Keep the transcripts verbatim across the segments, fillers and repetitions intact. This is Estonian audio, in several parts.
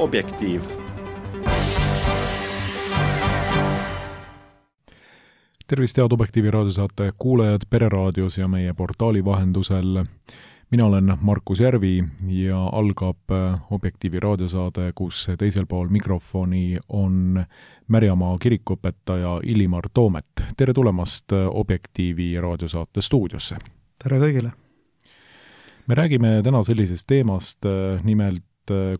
Objektiiv. Tervist, head Objektiivi raadiosaate kuulajad Pereraadios ja meie portaali vahendusel. Mina olen Markus Järvi ja algab Objektiivi raadiosaade, kus teisel pool mikrofoni on Märjamaa kirikuõpetaja Illimar Toomet. Tere tulemast Objektiivi raadiosaate stuudiosse. Tere kõigile. Me räägime täna sellisest teemast, nimelt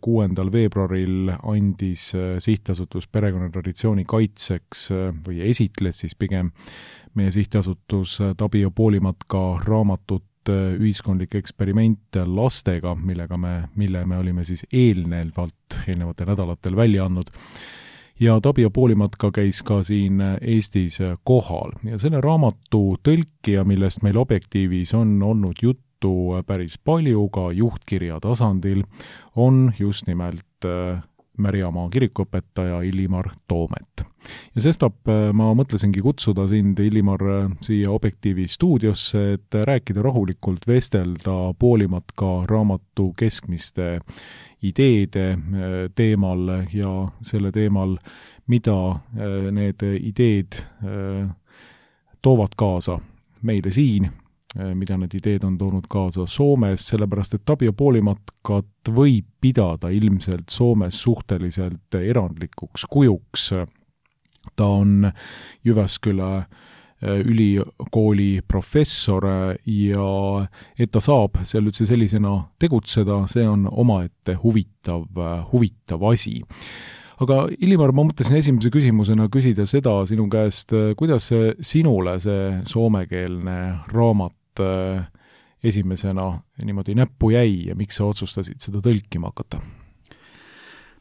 kuuendal veebruaril andis sihtasutus perekonnatraditsiooni kaitseks või esitles siis pigem meie sihtasutus Tabio Poolimatka raamatut ühiskondlik eksperiment lastega, millega me, mille me olime siis eelnevalt, eelnevatel nädalatel välja andnud. Ja Tabio Poolimatka käis ka siin Eestis kohal ja selle raamatu tõlkija, millest meil Objektiivis on olnud juttu päris palju ka juhtkirja tasandil, on just nimelt Märjamaa kirikuõpetaja Illimar Toomet. Ja sestap ma mõtlesingi kutsuda sind, Illimar, siia Objektiivi stuudiosse, et rääkida rahulikult, vestelda Poolimatka raamatu keskmiste ideede teemal ja selle teemal, mida need ideed toovad kaasa meile siin, mida need ideed on toonud kaasa Soomes, sellepärast et Tabio Poolimatkat võib pidada ilmselt Soomes suhteliselt erandlikuks kujuks. Ta on Jyväskylä ülikooli professor ja et ta saab seal üldse sellisena tegutseda, see on omaette huvitav, huvitav asi. Aga Illimar, ma mõtlesin esimese küsimusena küsida seda sinu käest, kuidas sinule see soomekeelne raamat esimesena niimoodi näppu jäi ja miks sa otsustasid seda tõlkima hakata?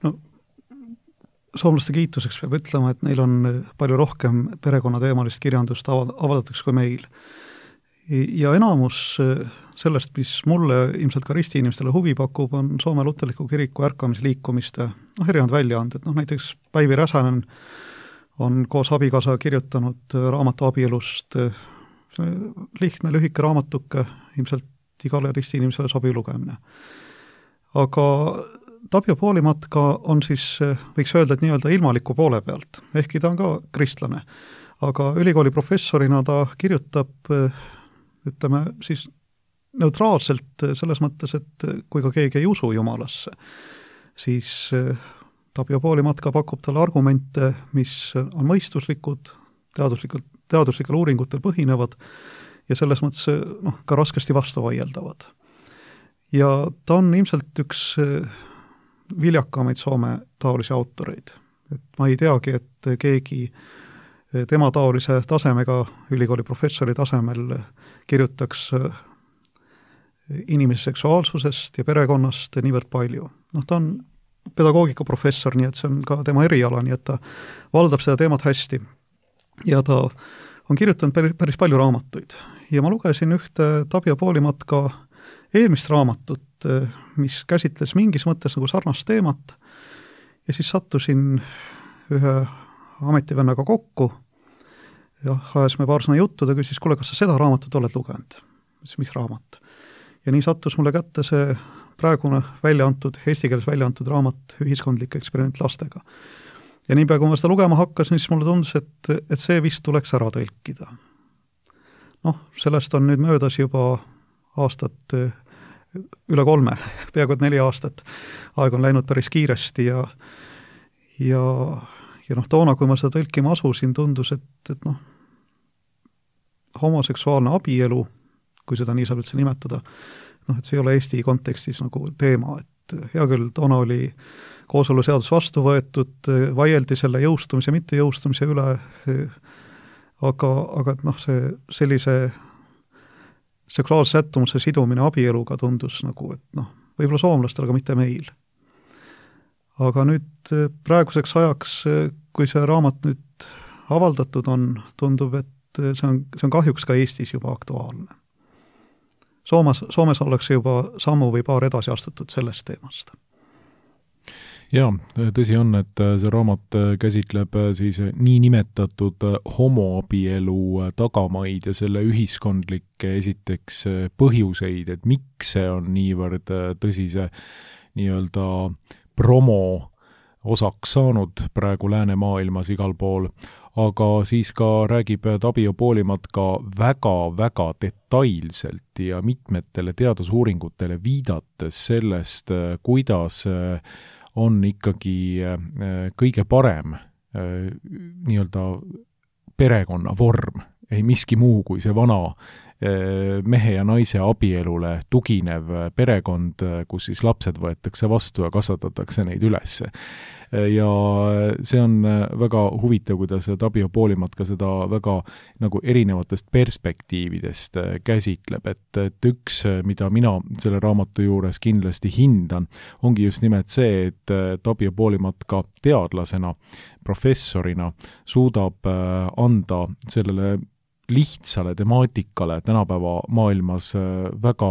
No, soomlaste kiituseks peab ütlema, et neil on palju rohkem perekonnateemalist kirjandust avaldatakse kui meil. Ja enamus sellest, mis mulle ilmselt ka ristiinimestele huvi pakub, on Soome luterliku kiriku ärkamisliikumiste noh, erinevad väljaanded. No, näiteks Päivi Räsänen on koos abikaasa kirjutanud raamatu abielust, lihtne, lühike raamatuke, ilmselt igale ristiinimesele sobiv lugemine. Aga Tabio Poolimatka on siis, võiks öelda, et nii-öelda ilmaliku poole pealt, ehkki ta on ka kristlane. Aga ülikooli professorina ta kirjutab, ütleme, siis neutraalselt selles mõttes, et kui ka keegi ei usu Jumalasse, siis Tabio Poolimatka pakub talle argumente, mis on mõistuslikud, teaduslikult, teaduslikel uuringutel põhinevad ja selles mõttes noh, ka raskesti vastu vaieldavad. Ja ta on ilmselt üks viljakamaid Soome taolisi autoreid. Et ma ei teagi, et keegi tema taolise tasemega, ülikooli professori tasemel kirjutaks inimese seksuaalsusest ja perekonnast niivõrd palju. Noh, ta on pedagoogikaprofessor, nii et see on ka tema eriala, nii et ta valdab seda teemat hästi. Ja ta on kirjutanud päris, päris palju raamatuid. Ja ma lugesin ühte Tabio Poolimatka eelmist raamatut, mis käsitles mingis mõttes nagu sarnast teemat ja siis sattusin ühe ametivennaga kokku ja ajasime paar sõna juttu, ta küsis, kuule, kas sa seda raamatut oled lugenud? Mis raamat? Ja nii sattus mulle kätte see praegune välja antud, eesti keeles välja antud raamat Ühiskondlik eksperiment lastega. Ja niipea, kui ma seda lugema hakkasin, siis mulle tundus, et, et see vist tuleks ära tõlkida. Noh, sellest on nüüd möödas juba aastat üle kolme, peaaegu neli aastat. Aeg on läinud päris kiiresti ja, ja, ja noh, toona, kui ma seda tõlkima asusin, tundus, et, et noh, homoseksuaalne abielu, kui seda nii saab üldse nimetada, noh, et see ei ole Eesti kontekstis nagu teema, et hea küll, toona oli kooseluseadus vastu võetud, vaieldi selle jõustumise, mitte jõustumise üle, aga, aga noh, see sellise seksuaalse sättumuse sidumine abieluga tundus nagu, et noh, võib-olla soomlastel, aga mitte meil. Aga nüüd praeguseks ajaks, kui see raamat nüüd avaldatud on, tundub, et see on, see on kahjuks ka Eestis juba aktuaalne. Soomes, Soomes ollakse juba sammu või paar edasi astutud sellest teemast. Jaa, tõsi on, et see raamat käsitleb siis nii nimetatud homoabielu tagamaid ja selle ühiskondlikke esiteks põhjuseid, et miks see on niivõrd tõsise nii-öelda promo osaks saanud praegu läänemaailmas igal pool, aga siis ka räägib Tapio Poolimatka väga-väga detailselt ja mitmetele teadusuuringutele viidates sellest, kuidas on ikkagi kõige parem nii-öelda perekonna vorm, ei miski muu kui see vana mehe ja naise abielule tuginev perekond, kus siis lapsed võetakse vastu ja kasvatatakse neid üles. Ja see on väga huvitav, kuidas Tapio Poolimatka seda väga nagu erinevatest perspektiividest käsitleb, et, et üks, mida mina selle raamatu juures kindlasti hindan, ongi just nimelt see, et Tapio Poolimatka teadlasena, professorina suudab anda sellele lihtsale temaatikale tänapäeva maailmas väga,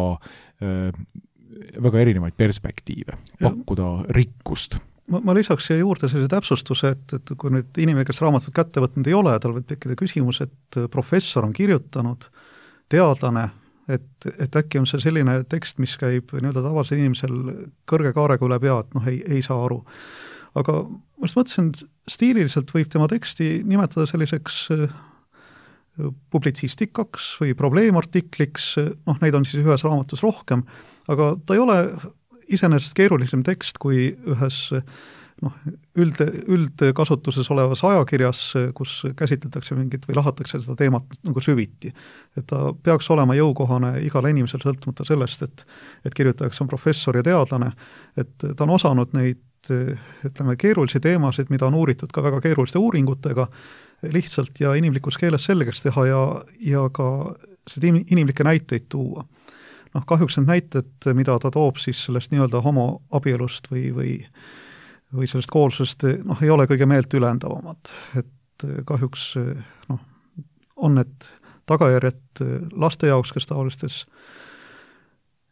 väga erinevaid perspektiive, pakkuda rikkust. Ma, ma lisaks siia juurde sellise täpsustuse, et, et kui nüüd inimene, kes raamatut kätte võtnud ei ole, tal võib tekkida küsimus, et professor on kirjutanud, teadlane, et, et äkki on see selline tekst, mis käib nii-öelda tavalisel inimesel kõrge kaarega üle pea, et noh, ei, ei saa aru. Aga ma just mõtlesin, stiililiselt võib tema teksti nimetada selliseks publitsistikaks või probleemartikliks, noh, neid on siis ühes raamatus rohkem, aga ta ei ole iseenesest keerulisem tekst kui ühes noh, üld, üldkasutuses olevas ajakirjas, kus käsitletakse mingit või lahatakse seda teemat nagu süviti. Et ta peaks olema jõukohane igale inimesel sõltumata sellest, et, et kirjutajaks on professor ja teadlane, et ta on osanud neid, ütleme, keerulisi teemasid, mida on uuritud ka väga keeruliste uuringutega, lihtsalt ja inimlikus keeles selgeks teha ja, ja ka seda inimlikke näiteid tuua. Noh, kahjuks need näited, mida ta toob siis sellest nii-öelda homoabielust või, või, või sellest koolsusest, noh, ei ole kõige meelt ülendavamad. Et kahjuks noh, on need tagajärjed laste jaoks, kes taolistes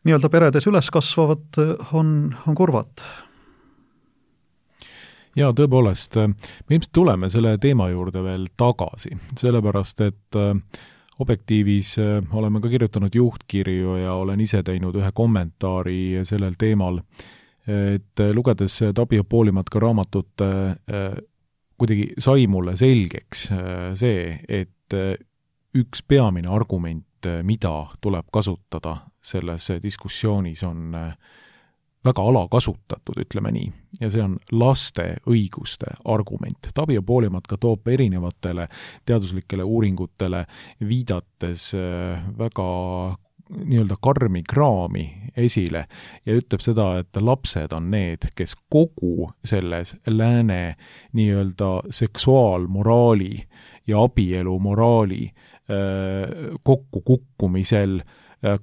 nii-öelda peredes üles kasvavad, on, on kurvad. Jaa, tõepoolest, me ilmselt tuleme selle teema juurde veel tagasi, sellepärast et Objektiivis oleme ka kirjutanud juhtkirju ja olen ise teinud ühe kommentaari sellel teemal, et lugedes Tapio Poolimatka raamatut kuidagi sai mulle selgeks see, et üks peamine argument, mida tuleb kasutada selles diskussioonis, on väga alakasutatud, ütleme nii, ja see on laste õiguste argument. Tapio Poolimatka toob erinevatele teaduslikele uuringutele viidates väga nii-öelda karmi kraami esile ja ütleb seda, et lapsed on need, kes kogu selles lääne nii-öelda seksuaalmoraali ja abielumoraali kokkukukkumisel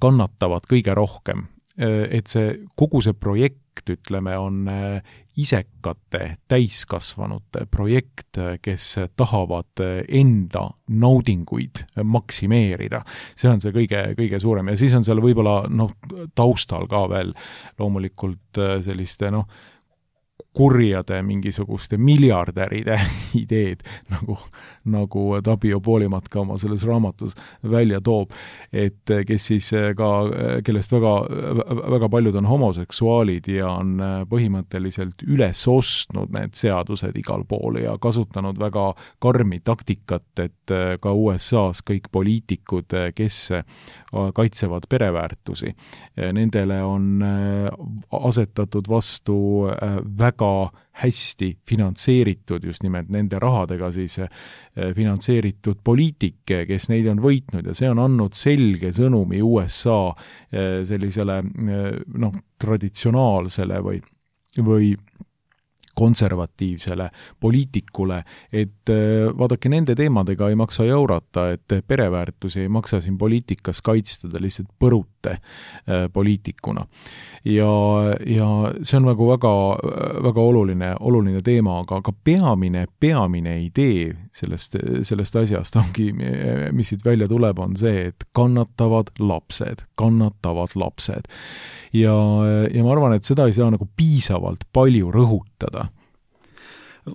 kannatavad kõige rohkem. Et see, kogu see projekt, ütleme, on isekate täiskasvanute projekt, kes tahavad enda naudinguid maksimeerida. See on see kõige, kõige suurem ja siis on seal võib-olla noh, taustal ka veel loomulikult selliste noh, kurjade mingisuguste miljardäride ideed, nagu, nagu Tapio Poolimatka oma selles raamatus välja toob, et kes siis ka, kellest väga, väga paljud on homoseksuaalid ja on põhimõtteliselt üles ostnud need seadused igal pool ja kasutanud väga karmi taktikat, et ka U S A-s kõik poliitikud, kes kaitsevad pereväärtusi, nendele on asetatud vastu väga hästi finantseeritud, just nimelt nende rahadega siis finantseeritud poliitike, kes neid on võitnud ja see on andnud selge sõnumi U S A sellisele noh, traditsionaalsele või, või konservatiivsele poliitikule, et vaadake, nende teemadega ei maksa jaurata, et pereväärtusi ei maksa siin poliitikas kaitstada lihtsalt põrute poliitikuna. Ja, ja see on nagu väga, väga oluline, oluline teema, aga, aga peamine, peamine idee sellest, sellest asjast ongi, mis siit välja tuleb, on see, et kannatavad lapsed, kannatavad lapsed. Ja, ja ma arvan, et seda ei saa nagu piisavalt palju rõhutada.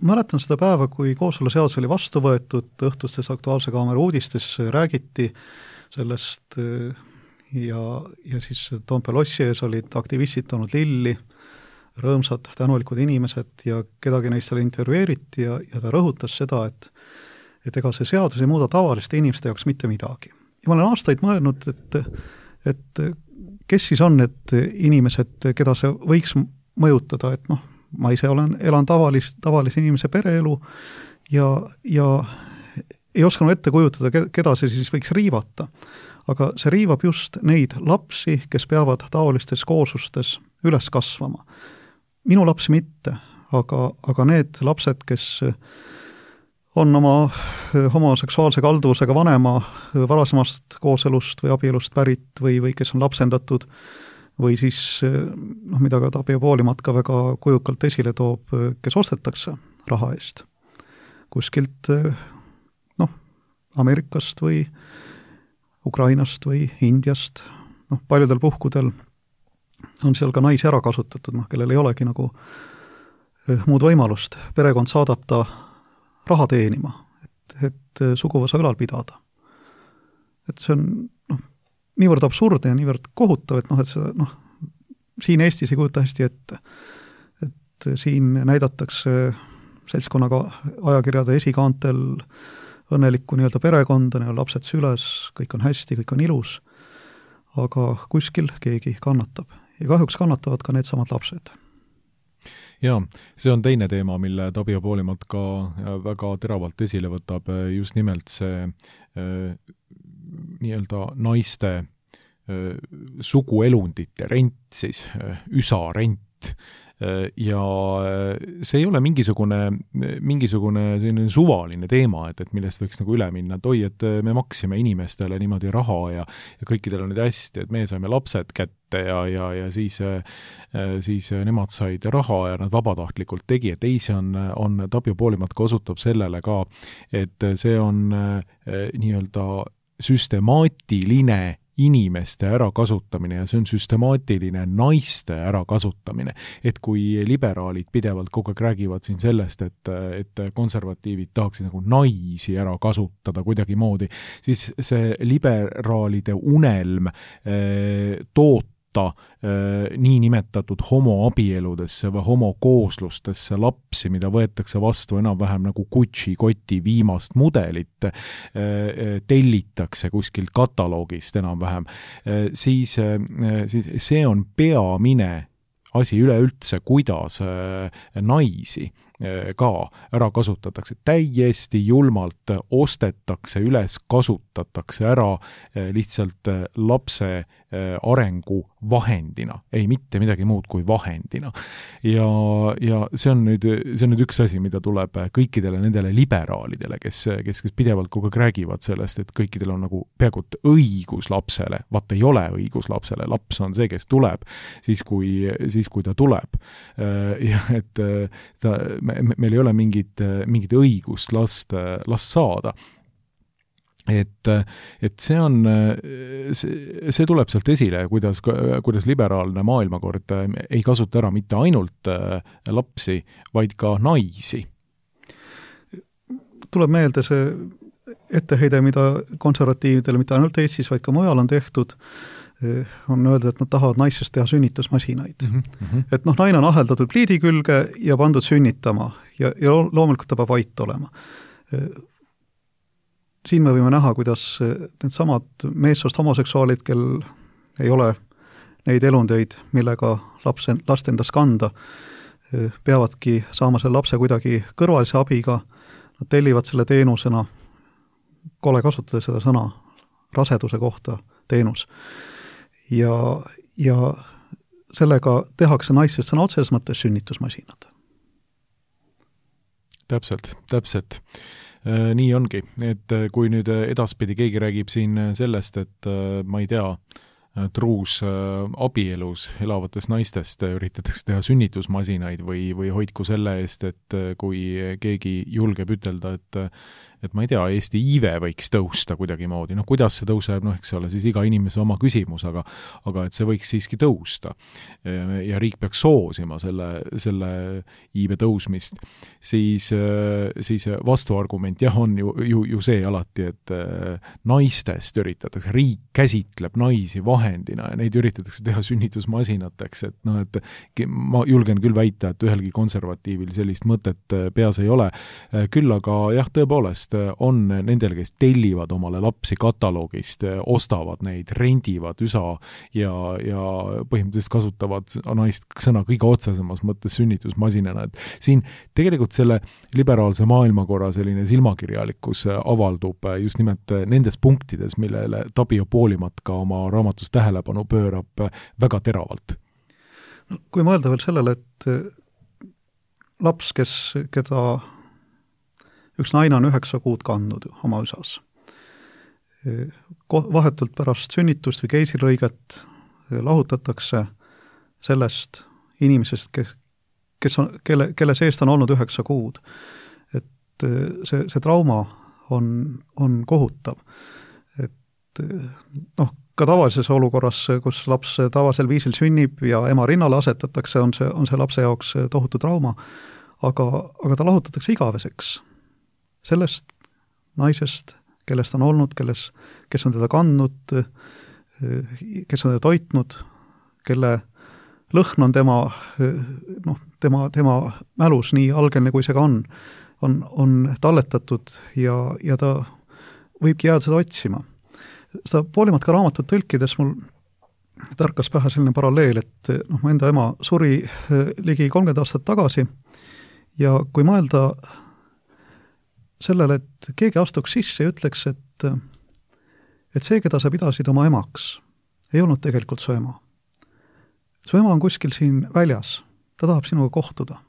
Mäletan seda päeva, kui kooseluseadus oli vastu võetud, õhtustes Aktuaalse Kaamera uudistes räägiti sellest ja, ja siis Toompea lossi ees olid aktivistid toonud lilli, rõõmsad, tänulikud inimesed ja kedagi neist seal intervjueeriti ja, ja ta rõhutas seda, et et ega see seadus ei muuda tavaliste inimeste jaoks mitte midagi. Ja ma olen aastaid mõelnud, et, et kes siis on need inimesed, keda see võiks mõjutada, et noh, ma ise olen, elan tavalis, tavalise inimese pereelu ja, ja ei osanud ette kujutada, keda see siis võiks riivata. Aga see riivab just neid lapsi, kes peavad taolistes kooslustes üles kasvama. Minu lapsi mitte, aga, aga need lapsed, kes on oma homoseksuaalse kalduvusega vanema varasemast kooselust või abielust pärit või, või kes on lapsendatud või siis, noh, mida ka Tapio Poolimat ka väga kujukalt esile toob, kes ostetakse raha eest kuskilt, noh, Ameerikast või Ukrainast või Indiast, noh, paljudel puhkudel on seal ka naisi ära kasutatud, noh, kellel ei olegi nagu muud võimalust. Perekond saadab ta raha teenima, et, et suguvõsa ülal pidada. Et see on, noh, niivõrd absurdne ja niivõrd kohutav, et noh, et see, noh, siin Eestis ei kujuta hästi ette. Et siin näidatakse seltskonnaga ajakirjade esikaantel õnnelikku nii-öelda perekonda, nii-öelda lapsed süles, kõik on hästi, kõik on ilus, aga kuskil keegi kannatab. Ja kahjuks kannatavad ka need samad lapsed. Jaa, see on teine teema, mille Tapio Poolimat ka väga teravalt esile võtab, just nimelt see äh, nii-öelda naiste äh, suguelundite rent, siis äh, üsarent, ja see ei ole mingisugune, mingisugune selline suvaline teema, et, et millest võiks nagu üle minna, et oi, et me maksime inimestele niimoodi raha ja, ja kõikidel on nüüd hästi, et me saime lapsed kätte ja, ja, ja siis, siis nemad said raha ja nad vabatahtlikult tegi, et ei, see on, on Tapio Poolimat ka osutab sellele ka, et see on nii-öelda süstemaatiline inimeste ärakasutamine ja see on süstemaatiline naiste ärakasutamine. Et kui liberaalid pidevalt kogu aeg räägivad siin sellest, et, et konservatiivid tahaksid nagu naisi ära kasutada kuidagi moodi, siis see liberaalide unelm eh, toota äh, nii nimetatud homoabieludesse või homokooslustesse lapsi, mida võetakse vastu enam-vähem nagu Gucci koti viimast mudelit, äh, tellitakse kuskilt kataloogist enam-vähem, äh, siis, äh, siis see on peamine asi üleüldse, kuidas äh, naisi ka ära kasutatakse. Täiesti julmalt ostetakse üles, kasutatakse ära lihtsalt lapse arengu vahendina. Ei mitte midagi muud kui vahendina. Ja, ja see on nüüd, see on nüüd üks asi, mida tuleb kõikidele nendele liberaalidele, kes, kes, kes pidevalt kogu aeg räägivad sellest, et kõikidel on nagu peaaegu õigus lapsele. Vaat ei ole õigus lapsele. Laps on see, kes tuleb siis, kui, siis, kui ta tuleb. Ja et ta Me, meil ei ole mingit, mingit õigust last, last saada. Et, et see on, see, see tuleb sealt esile, kuidas, kuidas liberaalne maailmakord ei kasuta ära mitte ainult lapsi, vaid ka naisi. Tuleb meelde see etteheide, mida konservatiividele mitte ainult Eestis, vaid ka mujal on tehtud, on öelda, et nad tahavad naissest teha sünnitusmasinaid. Mm -hmm. Et noh, naine on aheldatud pliidi külge ja pandud sünnitama ja, ja loomulikult ta peab vait olema. Siin me võime näha, kuidas need samad meessoost homoseksuaalid, kel ei ole neid elundeid, millega lapse, last endas kanda, peavadki saama selle lapse kuidagi kõrvalise abiga, nad tellivad selle teenusena, kole kasutada seda sõna, raseduse kohta teenus. Ja, ja sellega tehakse naistest sõna otseses mõttes sünnitusmasinad. Täpselt, täpselt. Nii ongi, et kui nüüd edaspidi keegi räägib siin sellest, et ma ei tea, truus abielus elavates naistest üritatakse teha sünnitusmasinaid või, või hoidku selle eest, et kui keegi julgeb ütelda, et, et ma ei tea, Eesti iive võiks tõusta kuidagimoodi, noh kuidas see tõuseb, noh eks ole siis iga inimese oma küsimus, aga aga et see võiks siiski tõusta ja riik peaks soosima selle, selle iive tõusmist, siis, siis vastuargument jah, on ju, ju, ju see alati, et naistest üritatakse, riik käsitleb naisi vahendina ja neid üritatakse teha sünnitusmasinateks, et noh, et ma julgen küll väita, et ühelgi konservatiivil sellist mõtet peas ei ole. Küll aga jah, tõepoolest on nendel, kes tellivad omale lapsi kataloogist, ostavad neid, rendivad üsa ja, ja põhimõtteliselt kasutavad naist sõna kõige otsesemas mõttes sünnitusmasinana. Et siin tegelikult selle liberaalse maailmakorra selline silmakirjalikkus avaldub just nimelt nendes punktides, millele Tapio Poolimat ka oma raamatus tähelepanu pöörab väga teravalt. No, kui mõelda veel sellele, et laps, kes, keda üks naine on üheksa kuud kandnud oma üsas, vahetult pärast sünnitust või keisrilõiget lahutatakse sellest inimesest, kes, kes on, kelle, kelle seest on olnud üheksa kuud. Et see, see trauma on, on kohutav. Et noh, ka tavalises olukorras, kus laps tavalisel viisil sünnib ja ema rinnale asetatakse, on see, on see lapse jaoks tohutu trauma, aga, aga ta lahutatakse igaveseks sellest naisest, kellest on olnud, kelles, kes on teda kandnud, kes on teda toitnud, kelle lõhn on tema, noh, tema, tema mälus nii algeline, kui see ka on, on, on talletatud ja, ja ta võibki jääda seda otsima. Seda Poolimat ka raamatut tõlkides mul tärkas pähe selline paralleel, et noh, mu enda ema suri ligi kolmkümmend aastat tagasi ja kui mõelda sellele, et keegi astuks sisse ja ütleks, et, et see, keda sa pidasid oma emaks, ei olnud tegelikult su ema. Su ema on kuskil siin väljas, ta tahab sinuga kohtuda.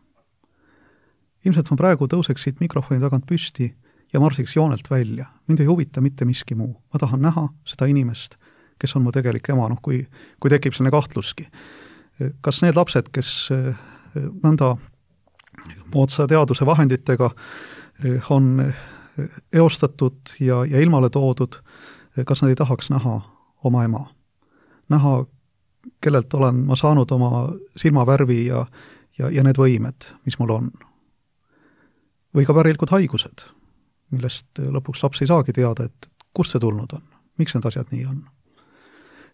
Ilmselt ma praegu tõuseks siit mikrofoni tagant püsti ja marsiks joonelt välja. Mind ei huvita mitte miski muu. Ma tahan näha seda inimest, kes on mu tegelik ema, noh, kui, kui tekib selline kahtluski. Kas need lapsed, kes nõnda moodsa teaduse vahenditega on eostatud ja, ja ilmale toodud, kas nad ei tahaks näha oma ema? Näha, kellelt olen ma saanud oma silmavärvi ja, ja, ja need võimed, mis mul on. Või ka pärilikud haigused, millest lõpuks laps ei saagi teada, et kust see tulnud on, miks need asjad nii on.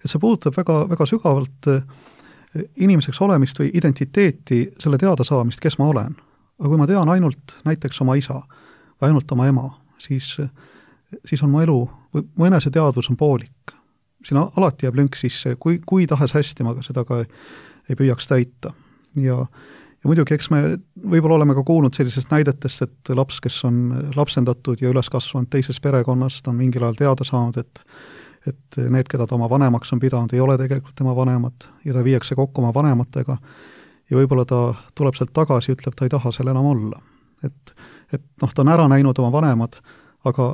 Et see puudutab väga, väga sügavalt inimeseks olemist või identiteeti, selle teada saamist, kes ma olen. Aga kui ma tean ainult näiteks oma isa või ainult oma ema, siis, siis on mu elu, või mu eneseteadvus on poolik. Siin alati jääb lünk sisse, kui, kui tahes hästi ma seda ka ei püüaks täita. Ja, ja muidugi, eks me võib-olla oleme ka kuulnud sellisest näidetest, et laps, kes on lapsendatud ja üles kasvanud teises perekonnas, ta on mingil ajal teada saanud, et, et need, keda ta oma vanemaks on pidanud, ei ole tegelikult tema vanemad ja ta viiakse kokku oma vanematega ja võib-olla ta tuleb sealt tagasi ja ütleb, ta ei taha seal enam olla. Et, et noh, ta on ära näinud oma vanemad, aga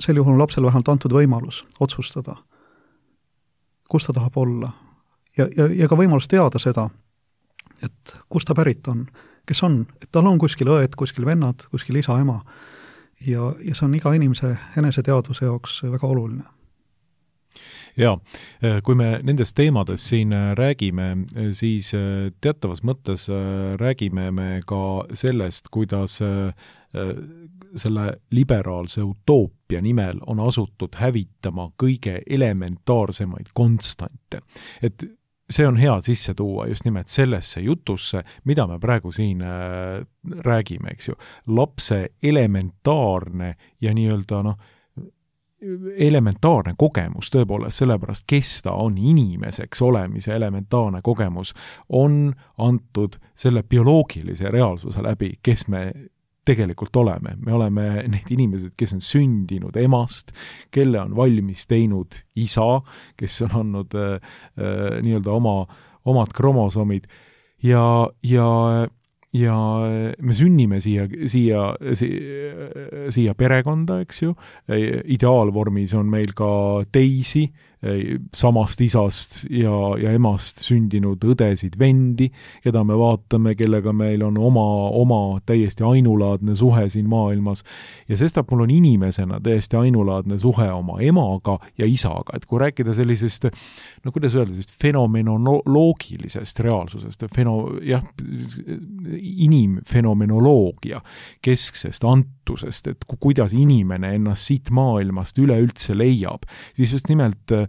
sel juhul on lapsel vähemalt antud võimalus otsustada, kus ta tahab olla. Ja, ja, ja ka võimalus teada seda, et kus ta pärit on, kes on, et tal on kuskil õed, kuskil vennad, kuskil isa, ema. Ja, ja see on iga inimese eneseteadvuse jaoks väga oluline. Jaa, kui me nendest teemades siin räägime, siis teatavas mõttes räägime me ka sellest, kuidas selle liberaalse utoopia nimel on asutud hävitama kõige elementaarsemaid konstante. Et see on hea sisse tuua just nimelt sellesse jutusse, mida me praegu siin räägime, eks ju. Lapse elementaarne ja nii-öelda noh, elementaarne kogemus tõepoolest, sellepärast kes ta on inimeseks olemise elementaarne kogemus, on antud selle bioloogilise reaalsuse läbi, kes me tegelikult oleme. Me oleme need inimesed, kes on sündinud emast, kelle on valmis teinud isa, kes on andnud äh, äh, nii-öelda oma, omad kromosomid ja, ja ja me sünnime siia, siia, siia, siia perekonda, eks ju, ideaalvormis on meil ka teisi samast isast ja, ja emast sündinud õdesid, vendi, keda me vaatame, kellega meil on oma, oma täiesti ainulaadne suhe siin maailmas. Ja sestap mul on inimesena täiesti ainulaadne suhe oma emaga ja isaga. Et kui rääkida sellisest, no kuidas öelda, sellist fenomenoloogilisest reaalsusest, feno, jah, inimfenomenoloogia kesksest antusest, et ku, kuidas inimene ennast siit maailmast üleüldse leiab, siis just nimelt äh,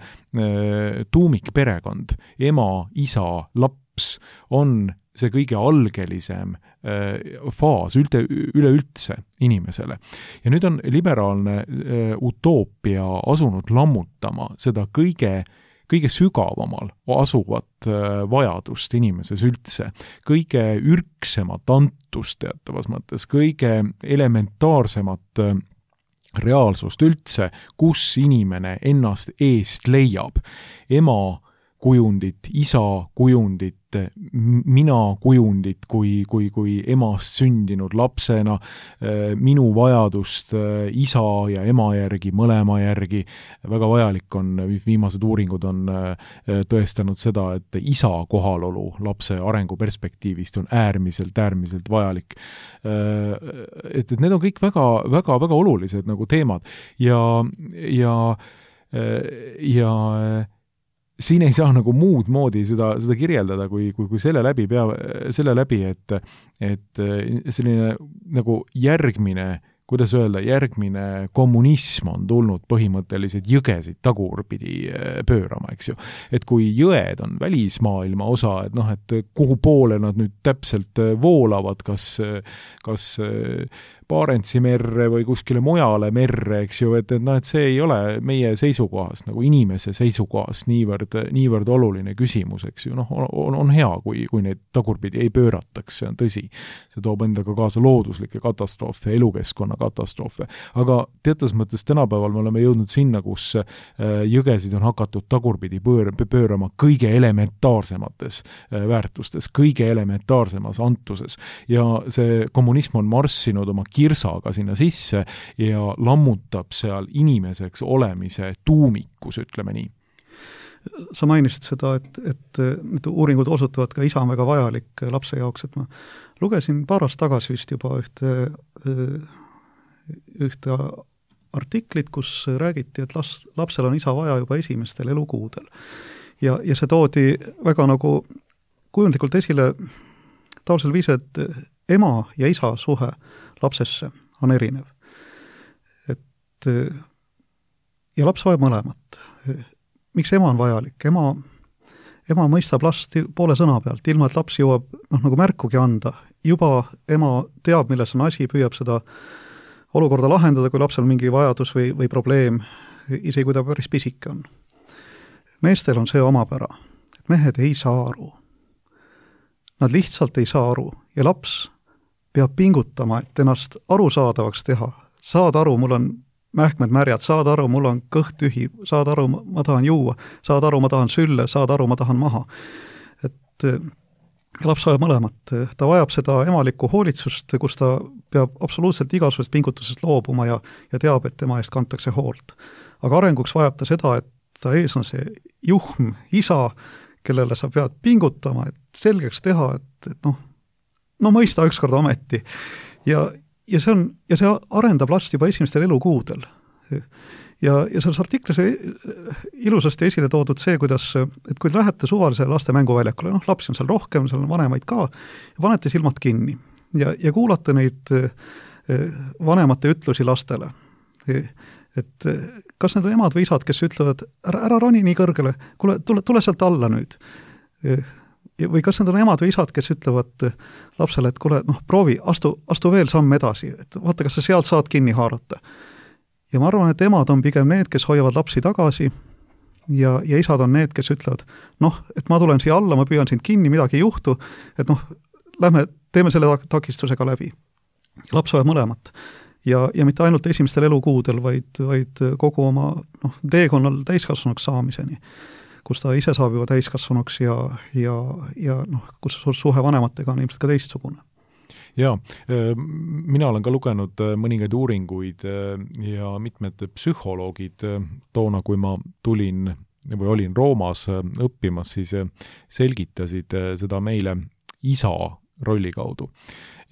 tuumikperekond, ema, isa, laps on see kõige algelisem äh, faas ülte, üleüldse inimesele. Ja nüüd on liberaalne äh, utoopia asunud lammutama seda kõige kõige sügavamal asuvat vajadust inimeses üldse, kõige ürksemat antust teatavas mõttes, kõige elementaarsemat reaalsust üldse, kus inimene ennast eest leiab. Ema kujundit, isa kujundit, mina kujundit kui, kui, kui emast sündinud lapsena, minu vajadust isa ja ema järgi, mõlema järgi. Väga vajalik on, viimased uuringud on tõestanud seda, et isa kohalolu lapse arenguperspektiivist on äärmiselt, äärmiselt vajalik. Et, et need on kõik väga, väga, väga olulised nagu teemad ja, ja, ja siin ei saa nagu muud moodi seda, seda kirjeldada, kui, kui, kui selle läbi pea, selle läbi, et, et selline nagu järgmine, kuidas öelda, järgmine kommunism on tulnud põhimõtteliselt jõgesid tagurpidi pöörama, eks ju. Et kui jõed on välismaailma osa, et noh, et kuhu poole nad nüüd täpselt voolavad, kas, kas Barentsi merre või kuskile mujale merre, eks ju, et, et, no, et see ei ole meie seisukohast, nagu inimese seisukohast niivõrd, niivõrd oluline küsimus, eks ju. Noh, on, on hea, kui, kui neid tagurpidi ei pöörataks, see on tõsi. See toob endaga kaasa looduslikke katastroofe, elukeskkonna katastroofe. Aga teatas mõttes tänapäeval me oleme jõudnud sinna, kus jõgesid on hakatud tagurpidi pöör, pöörama kõige elementaarsemates väärtustes, kõige elementaarsemas antuses. Ja see kommunism on marssinud oma kirsaga sinna sisse ja lammutab seal inimeseks olemise tuumikus, ütleme nii. Sa mainisid seda, et, et need uuringud osutavad ka isa on väga vajalik lapse jaoks, et ma lugesin paar aastat tagasi vist juba ühte, ühte artiklit, kus räägiti, et las, lapsel on isa vaja juba esimestel elukuudel. Ja, ja see toodi väga nagu kujundlikult esile taolisel viisil, et ema ja isa suhe lapsesse on erinev. Et, ja laps vajab mõlemat. Miks ema on vajalik? Ema, ema mõistab last poole sõna pealt, ilma et laps jõuab noh, nagu märkugi anda. Juba ema teab, milles on asi, püüab seda olukorda lahendada, kui lapsel mingi vajadus või, või probleem, isegi kui ta päris pisike on. Meestel on see omapära, et mehed ei saa aru. Nad lihtsalt ei saa aru ja laps peab pingutama, et ennast arusaadavaks teha. Saad aru, mul on mähkmed märjad, saad aru, mul on kõht tühi, saad aru, ma tahan juua, saad aru, ma tahan sülle, saad aru, ma tahan maha. Et laps vajab mõlemat. Ta vajab seda emalikku hoolitsust, kus ta peab absoluutselt igasugusest pingutusest loobuma ja, ja teab, et tema eest kantakse hoolt. Aga arenguks vajab ta seda, et ta ees on see juhm isa, kellele sa pead pingutama, et selgeks teha, et, et noh, no mõista ükskord ometi. Ja, ja, see on, ja see arendab last juba esimestel elukuudel. Ja, ja selles artiklis ilusasti esile toodud see, kuidas, et kui lähete suvalise laste mänguväljakule, noh, lapsi on seal rohkem, seal on vanemaid ka, ja panete silmad kinni ja, ja kuulate neid vanemate ütlusi lastele. Et kas need on emad või isad, kes ütlevad, ära, ära roni nii kõrgele, kuule, tule, tule sealt alla nüüd. Või kas need on emad või isad, kes ütlevad lapsele, et kuule, noh, proovi, astu, astu veel samm edasi, et vaata, kas sa sealt saad kinni haarata. Ja ma arvan, et emad on pigem need, kes hoiavad lapsi tagasi ja, ja isad on need, kes ütlevad, noh, et ma tulen siia alla, ma püüan sind kinni, midagi ei juhtu, et noh, lähme, teeme selle takistusega läbi. Laps vajab mõlemat. Ja, ja mitte ainult esimestel elukuudel, vaid, vaid kogu oma noh, teekonnal täiskasvanuks saamiseni, kus ta ise saab juba täiskasvanuks ja, ja, ja noh, kus suhe vanematega on ilmselt ka teistsugune. Jaa, mina olen ka lugenud mõningaid uuringuid ja mitmed psühholoogid toona, kui ma tulin või olin Roomas õppimas, siis selgitasid seda meile isa rolli kaudu.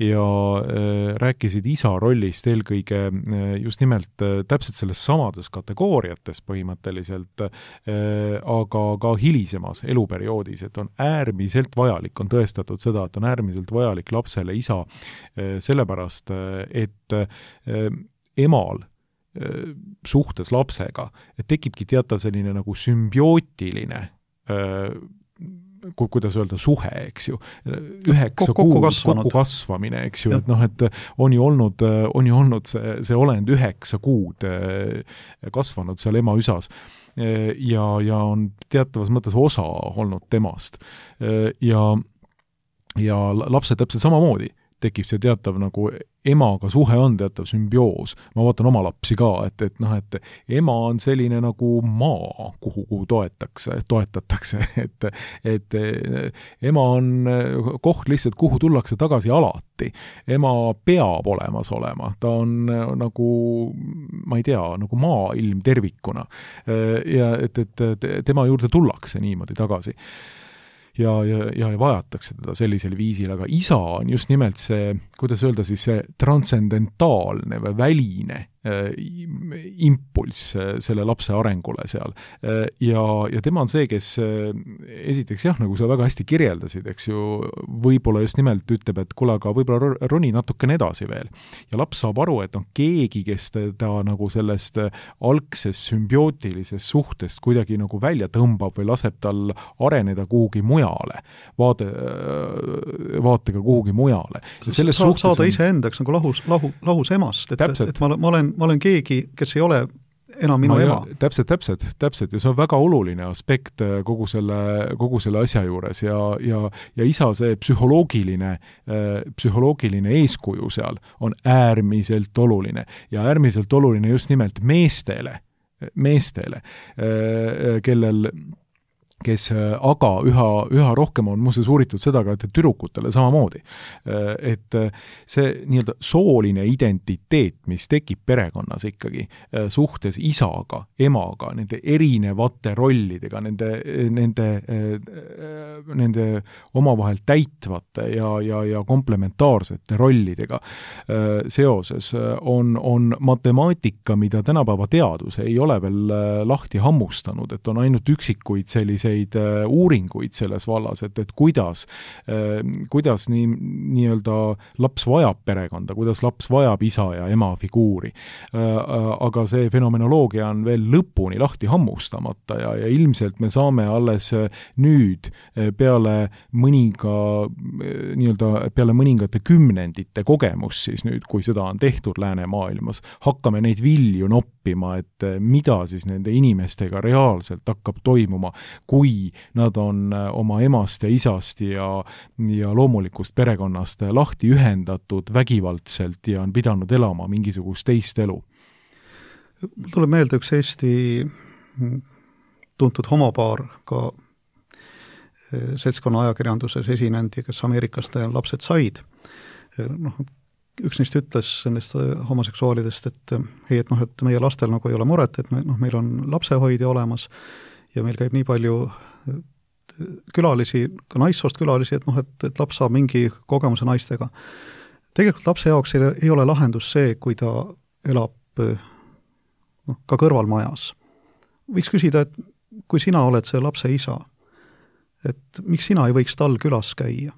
Ja äh, rääkisid isa rollist eelkõige äh, just nimelt äh, täpselt selles samades kategooriates põhimõtteliselt, äh, aga ka hilisemas eluperioodis, et on äärmiselt vajalik, on tõestatud seda, et on äärmiselt vajalik lapsele isa äh, sellepärast, et äh, emal äh, suhtes lapsega, et tekibki teatav selline nagu sümbiootiline äh, ku, kuidas öelda, suhe, eks ju, üheksa kokku kuud kasvanud. kokku kasvamine, eks ju, et noh, et on ju olnud, on ju olnud see, see olend üheksa kuud kasvanud seal ema üsas ja, ja on teatavas mõttes osa olnud temast. Ja, ja lapse täpselt samamoodi tekib see teatav nagu emaga suhe on teatav sümbioos. Ma vaatan oma lapsi ka, et, et noh, et ema on selline nagu maa, kuhu, kuhu toetakse, toetatakse, et, et ema on koht lihtsalt, kuhu tullakse tagasi alati. Ema peab olemas olema, ta on nagu, ma ei tea, nagu maailm tervikuna. Ja et, et tema juurde tullakse niimoodi tagasi. Ja, ja, ja vajatakse teda sellisel viisil, aga isa on just nimelt see, kuidas öelda siis, see transcendentaalne või väline äh, impulss äh, selle lapse arengule seal. Äh, ja, ja tema on see, kes äh, esiteks jah, nagu sa väga hästi kirjeldasid, eks ju, võib-olla just nimelt ütleb, et kuule, aga võib-olla roni natukene edasi veel. Ja laps saab aru, et on keegi, kes teda nagu sellest algsest sümbiootilisest suhtest kuidagi nagu välja tõmbab või laseb tal areneda kuhugi mujale. Vaade, vaatega kuhugi mujale. Ja selles Sa, suhtes saada on... ise endaks nagu lahus, lahu, lahus emast, et, et ma, ma, olen, ma olen keegi, kes ei ole enam minu no, ema. Ja, täpselt, täpselt, täpselt. Ja see on väga oluline aspekt kogu selle, kogu selle asja juures ja, ja, ja isa see psühholoogiline, psühholoogiline eeskuju seal on äärmiselt oluline ja äärmiselt oluline just nimelt meestele, meestele, kellel kes aga üha, üha rohkem on muuseas uuritud seda ka, et tüdrukutele samamoodi. Et see nii-öelda sooline identiteet, mis tekib perekonnas ikkagi suhtes isaga, emaga, nende erinevate rollidega, nende, nende, nende omavahel täitvate ja, ja, ja komplementaarsete rollidega seoses on, on matemaatika, mida tänapäeva teadus ei ole veel lahti hammustanud, et on ainult üksikuid sellise uuringuid selles vallas, et, et kuidas, kuidas nii, nii-öelda laps vajab perekonda, kuidas laps vajab isa ja ema figuuri. Aga see fenomenoloogia on veel lõpuni lahti hammustamata ja, ja ilmselt me saame alles nüüd peale mõninga, nii-öelda peale mõningate kümnendite kogemus siis nüüd, kui seda on tehtud läänemaailmas, hakkame neid vilju noppima, et mida siis nende inimestega reaalselt hakkab toimuma, kui nad on oma emast ja isast ja, ja loomulikust perekonnast lahti ühendatud vägivaldselt ja on pidanud elama mingisugust teist elu. Mul tuleb meelde üks Eesti tuntud homopaar ka seltskonna ajakirjanduses esinendi, kes Ameerikast lapsed said. Noh, üks neist ütles nendest homoseksuaalidest, et ei, et noh, et meie lastel nagu ei ole muret, et me, noh, meil on lapsehoidja olemas ja meil käib nii palju külalisi, ka naissoost külalisi, et noh, et, et laps saab mingi kogemuse naistega. Tegelikult lapse jaoks ei, ei ole lahendus see, kui ta elab noh, ka kõrvalmajas. Võiks küsida, et kui sina oled see lapse isa, et miks sina ei võiks tal külas käia?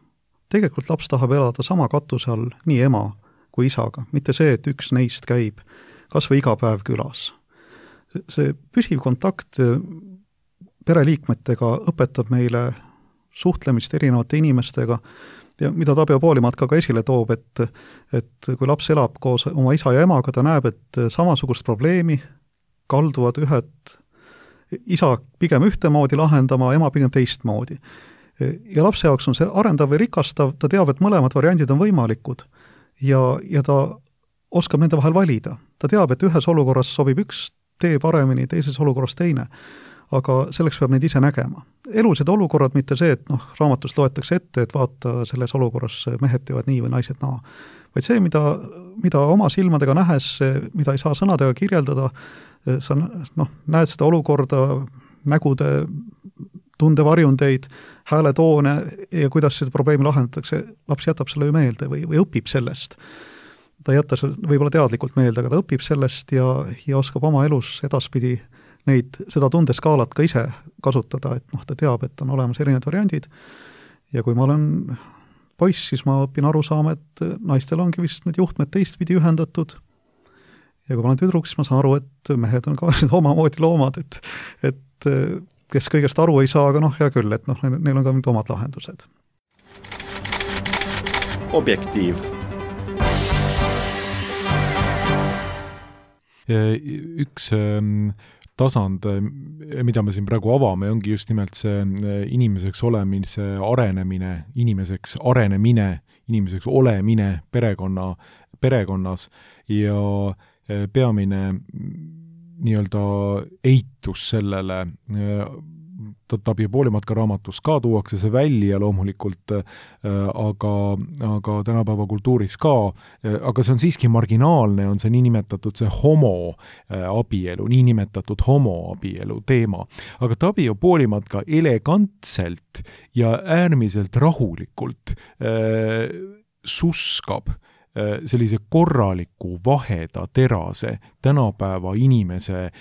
Tegelikult laps tahab elada sama katuse all nii ema kui isaga, mitte see, et üks neist käib kas või iga päev külas. See püsiv kontakt pereliikmetega õpetab meile suhtlemist erinevate inimestega ja mida Tabio Poolimaat ka, ka esile toob, et, et kui laps elab koos oma isa ja emaga, ta näeb, et samasugust probleemi kalduvad ühed isa pigem ühtemoodi lahendama, ema pigem teistmoodi. Ja lapse jaoks on see arendav või rikastav, ta teab, et mõlemad variandid on võimalikud ja, ja ta oskab nende vahel valida. Ta teab, et ühes olukorras sobib üks tee paremini, teises olukorras teine. Aga selleks peab neid ise nägema. Elused olukorrad, mitte see, et noh, raamatust loetakse ette, et vaata selles olukorras mehed teevad nii või naised naa. Vaid see, mida, mida oma silmadega nähes, mida ei saa sõnadega kirjeldada, sa noh, näed seda olukorda, nägude tundevarjundeid, hääletoone ja kuidas seda probleemi lahendatakse, laps jätab selle ju meelde või, või õpib sellest. Ta ei jäta võib-olla teadlikult meelde, aga ta õpib sellest ja, ja oskab oma elus edaspidi neid, seda tundeskaalat ka ise kasutada, et noh, ta teab, et on olemas erinevad variandid ja kui ma olen poiss, siis ma õpin aru saama, et naistel ongi vist need juhtmed teistpidi ühendatud ja kui ma olen tüdruk, siis ma saan aru, et mehed on ka omamoodi loomad, et, et kes kõigest aru ei saa, aga noh, hea küll, et noh, neil on ka mingid omad lahendused. Objektiiv. Üks tasand, mida me siin praegu avame, ongi just nimelt see inimeseks olemise arenemine, inimeseks arenemine, inimeseks olemine perekonna, perekonnas ja peamine nii-öelda eitus sellele, Tabio Poolimatka raamatus ka tuuakse see välja loomulikult, aga, aga tänapäeva kultuuris ka, aga see on siiski marginaalne, on see niinimetatud see homoabielu, niinimetatud homoabielu teema. Aga Tabio Poolimatka elegantselt ja äärmiselt rahulikult äh, suskab sellise korraliku vaheda terase tänapäeva inimese äh,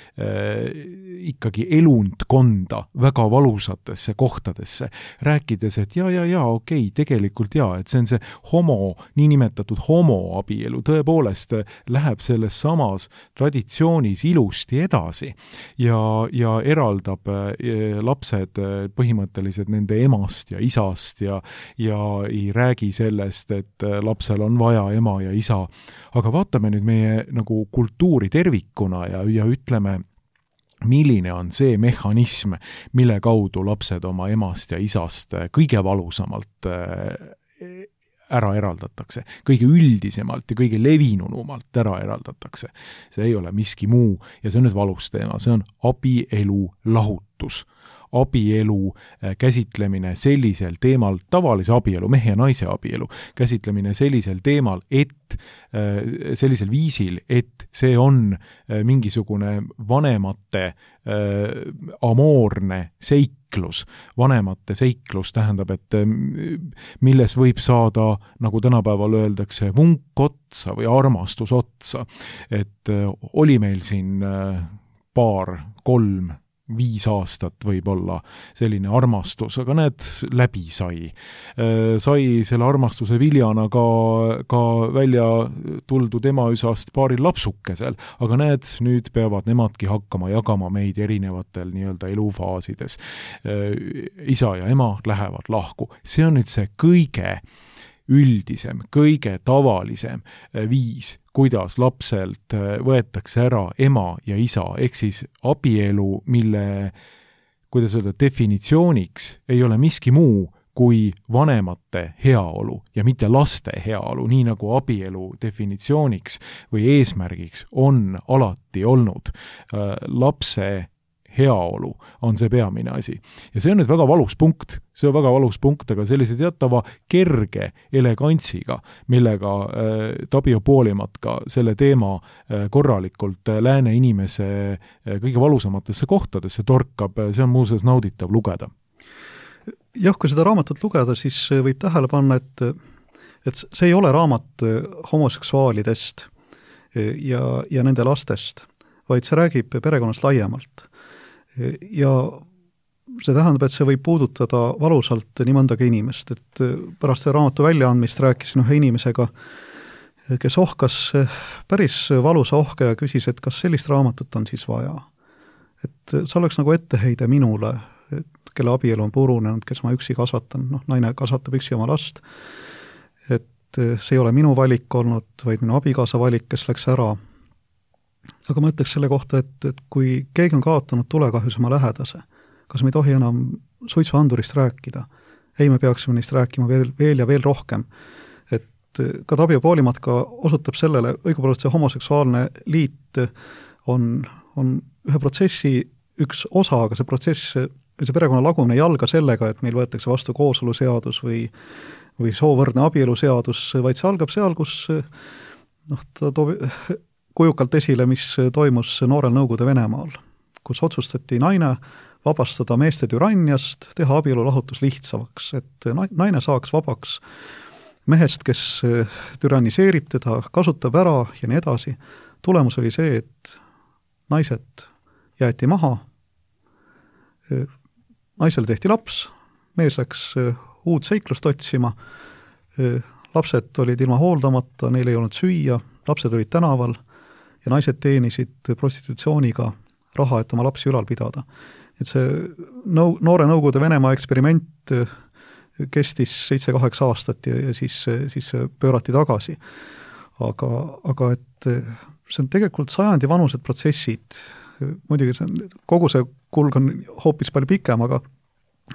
ikkagi elundkonda väga valusatesse kohtadesse, rääkides, et ja, ja, ja, okei, tegelikult ja, et see on see homo, niinimetatud homoabielu, tõepoolest läheb selles samas traditsioonis ilusti edasi ja, ja eraldab äh, lapsed põhimõtteliselt nende emast ja isast ja, ja ei räägi sellest, et lapsel on vaja ema ja isa, aga vaatame nüüd meie nagu kultuuri tervikuna ja, ja ütleme, milline on see mehhanism, mille kaudu lapsed oma emast ja isast kõige valusamalt ära eraldatakse, kõige üldisemalt ja kõige levinunumalt ära eraldatakse. See ei ole miski muu ja see on nüüd valus teema, see on abielu lahutus. Abielu käsitlemine sellisel teemal, tavalise abielu, mehe ja naise abielu, käsitlemine sellisel teemal, et sellisel viisil, et see on mingisugune vanemate amoorne seiklus. Vanemate seiklus tähendab, et milles võib saada, nagu tänapäeval öeldakse, vunk otsa või armastus otsa. Et oli meil siin paar, kolm, viis aastat võib-olla selline armastus, aga need läbi sai. Sai selle armastuse viljana ka, ka välja tuldud emaüsast paaril lapsukesel, aga need nüüd peavad nemadki hakkama jagama meid erinevatel nii-öelda elufaasides. Isa ja ema lähevad lahku. See on nüüd see kõige üldisem, kõige tavalisem viis, kuidas lapselt võetakse ära ema ja isa, ehk siis abielu, mille, kuidas öelda, definitsiooniks ei ole miski muu kui vanemate heaolu ja mitte laste heaolu, nii nagu abielu definitsiooniks või eesmärgiks on alati olnud lapse heaolu on see peamine asi. Ja see on nüüd väga valus punkt, see on väga valus punkt, aga sellise teatava kerge elegantsiga, millega äh, Tabio Poolimatka selle teema äh, korralikult äh, lääne inimese äh, kõige valusamatesse kohtadesse torkab, see on muuseas nauditav lugeda. Jah, kui seda raamatut lugeda, siis võib tähele panna, et, et see ei ole raamat homoseksuaalidest ja, ja nende lastest, vaid see räägib perekonnast laiemalt. Ja see tähendab, et see võib puudutada valusalt nii mõndagi inimest, et pärast selle raamatu väljaandmist rääkisin ühe inimesega, kes ohkas päris valusa ohke ja küsis, et kas sellist raamatut on siis vaja. Et see oleks nagu etteheide minule, kelle abielu on purunenud, kes ma üksi kasvatan, noh, naine kasvatab üksi oma last, et see ei ole minu valik olnud, vaid minu abikaasa valik, kes läks ära. Aga ma ütleks selle kohta, et, et kui keegi on kaotanud tulekahjus oma lähedase, kas me ei tohi enam suitsuandurist rääkida? Ei, me peaksime neist rääkima veel, veel ja veel rohkem. Et ka Tabio Poolimatka osutab sellele, õigupoolest see homoseksuaalne liit on, on ühe protsessi üks osa, aga see protsess, see perekonna lagumine ei alga sellega, et meil võetakse vastu kooseluseadus või, või soovõrdne abieluseadus, vaid see algab seal, kus noh, ta toob kujukalt esile, mis toimus noorel Nõukogude Venemaal, kus otsustati naine vabastada meeste türanniast, teha abielulahutus lihtsamaks, et naine saaks vabaks mehest, kes türanniseerib teda, kasutab ära ja nii edasi. Tulemus oli see, et naised jäeti maha, naisele tehti laps, mees läks uut seiklust otsima, lapsed olid ilma hooldamata, neil ei olnud süüa, lapsed olid tänaval ja naised teenisid prostitutsiooniga raha, et oma lapsi ülal pidada. Et see nõu, noore Nõukogude Venemaa eksperiment kestis seitse-kaheksa aastat ja, ja siis, siis pöörati tagasi. Aga, aga et see on tegelikult sajandi vanused protsessid, muidugi see on, kogu see kulg on hoopis palju pikem, aga,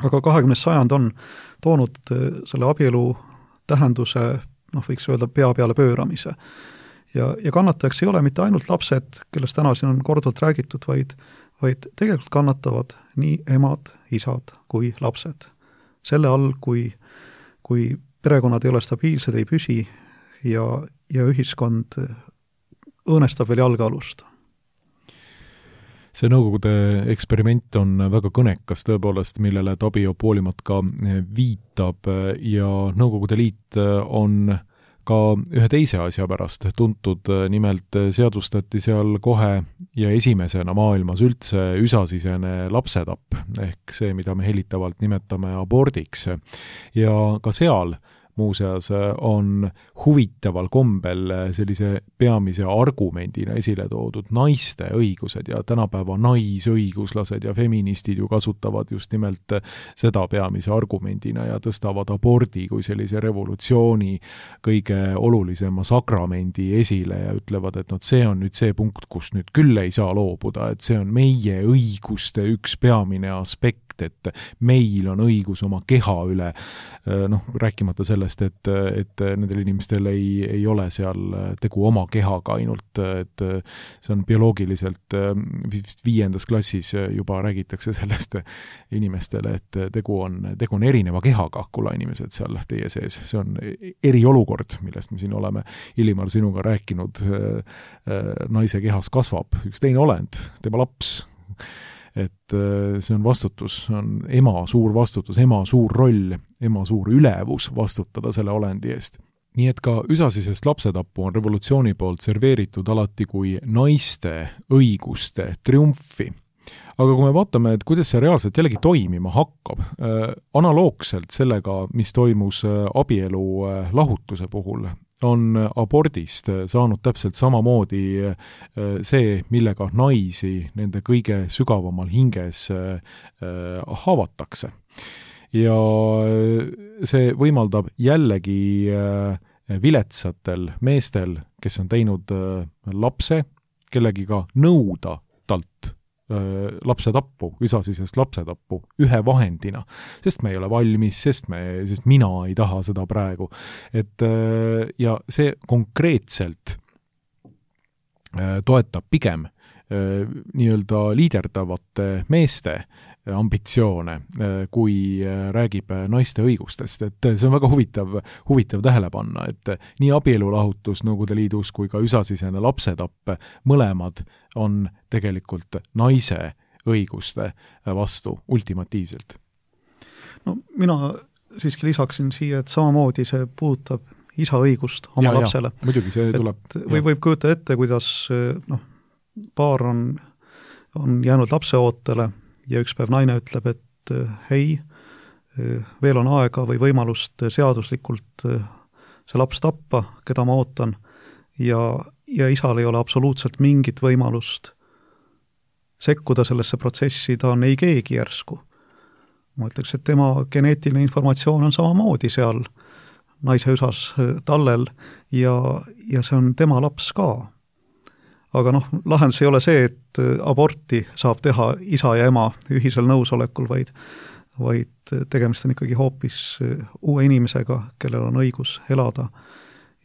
aga kahekümnes sajand on toonud selle abielu tähenduse, noh, võiks öelda pea peale pööramise. Ja, ja kannatajaks ei ole mitte ainult lapsed, kellest täna siin on korduvalt räägitud, vaid, vaid tegelikult kannatavad nii emad, isad kui lapsed. Selle all, kui, kui perekonnad ei ole stabiilsed, ei püsi ja, ja ühiskond õõnestab veel jalgealust. See Nõukogude eksperiment on väga kõnekas tõepoolest, millele Tabio Poolimat ka viitab ja Nõukogude Liit on ka ühe teise asja pärast tuntud, nimelt seadustati seal kohe ja esimesena maailmas üldse üsasisene lapsetapp, ehk see, mida me hellitavalt nimetame abordiks. Ja ka seal muuseas on huvitaval kombel sellise peamise argumendina esile toodud naiste õigused ja tänapäeva naisõiguslased ja feministid ju kasutavad just nimelt seda peamise argumendina ja tõstavad abordi kui sellise revolutsiooni kõige olulisema sakramendi esile ja ütlevad, et no, see on nüüd see punkt, kus nüüd küll ei saa loobuda, et see on meie õiguste üks peamine aspekt, et meil on õigus oma keha üle, noh, rääkimata sellest, et, et nendel inimestel ei, ei ole seal tegu oma kehaga ainult, et see on bioloogiliselt viiendas klassis juba räägitakse sellest inimestele, et tegu on, tegu on erineva kehaga, kulla inimesed seal teie sees. See on eriolukord, millest me siin oleme Illimar sinuga rääkinud. Naise kehas kasvab üks teine olend, tema laps. Et see on vastutus, on ema suur vastutus, ema suur roll, ema suur ülevus vastutada selle olendi eest. Nii et ka üsasisest lapsetappu on revolutsiooni poolt serveeritud alati kui naiste õiguste triumfi. Aga kui me vaatame, et kuidas see reaalselt jällegi toimima hakkab, äh, analoogselt sellega, mis toimus abielu äh, lahutuse puhul, on abordist saanud täpselt samamoodi see, millega naisi nende kõige sügavamal hinges haavatakse. Ja see võimaldab jällegi viletsatel meestel, kes on teinud lapse, kellegiga nõuda talt lapsetappu, üsasisest lapsetappu ühe vahendina, sest me ei ole valmis, sest, me, sest mina ei taha seda praegu. Et, ja see konkreetselt toetab pigem nii-öelda liiderdavate meeste ambitsioone, kui räägib naiste õigustest. Et see on väga huvitav, huvitav tähele panna, et nii abielulahutus Nõukogude Liidus kui ka üsasisene lapsetapp, mõlemad on tegelikult naise õiguste vastu ultimatiivselt. No mina siiski lisaksin siia, et samamoodi see puudutab isa õigust oma ja, lapsele. Ja, muidugi see tuleb. Või võib kujuta ette, kuidas noh, paar on, on jäänud lapseootele ja üks päev naine ütleb, et hei, veel on aega või võimalust seaduslikult see laps tappa, keda ma ootan, ja, ja isal ei ole absoluutselt mingit võimalust sekkuda sellesse protsessi, ta on ei keegi järsku. Ma ütleks, et tema geneetiline informatsioon on samamoodi seal naise üsas tallel ja, ja see on tema laps ka. Aga noh, lahendus ei ole see, et aborti saab teha isa ja ema ühisel nõusolekul, vaid, vaid tegemist on ikkagi hoopis uue inimesega, kellel on õigus elada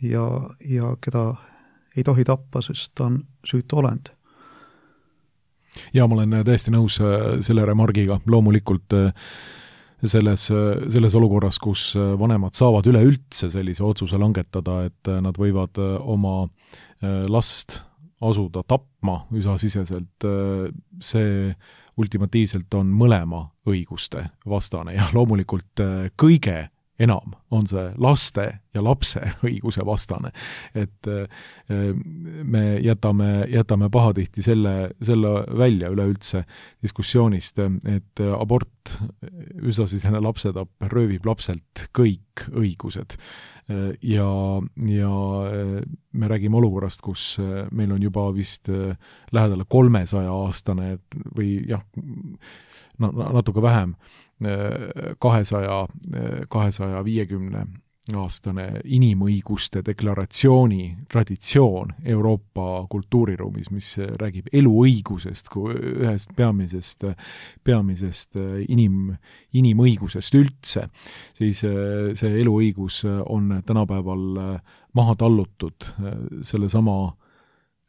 ja, ja keda ei tohi tappa, sest ta on süütu olend. Ja ma olen täiesti nõus selle remargiga, loomulikult selles, selles olukorras, kus vanemad saavad üleüldse sellise otsuse langetada, et nad võivad oma last asuda tapma üsasiseselt, see ultimatiivselt on mõlema õiguste vastane ja loomulikult kõige enam on see laste ja lapse õiguse vastane. Et me jätame, jätame pahatihti selle, selle välja üleüldse diskussioonist, et abort, üsasisene lapsetapp röövib lapselt kõik õigused. Ja, ja me räägime olukorrast, kus meil on juba vist lähedale kolmesaja aastane või jah, natuke vähem, kahesaja, kahesaja viiekümne aastane inimõiguste deklaratsiooni traditsioon Euroopa kultuuriruumis, mis räägib eluõigusest kui ühest peamisest, peamisest inim, inimõigusest üldse, siis see eluõigus on tänapäeval maha tallutud selle sama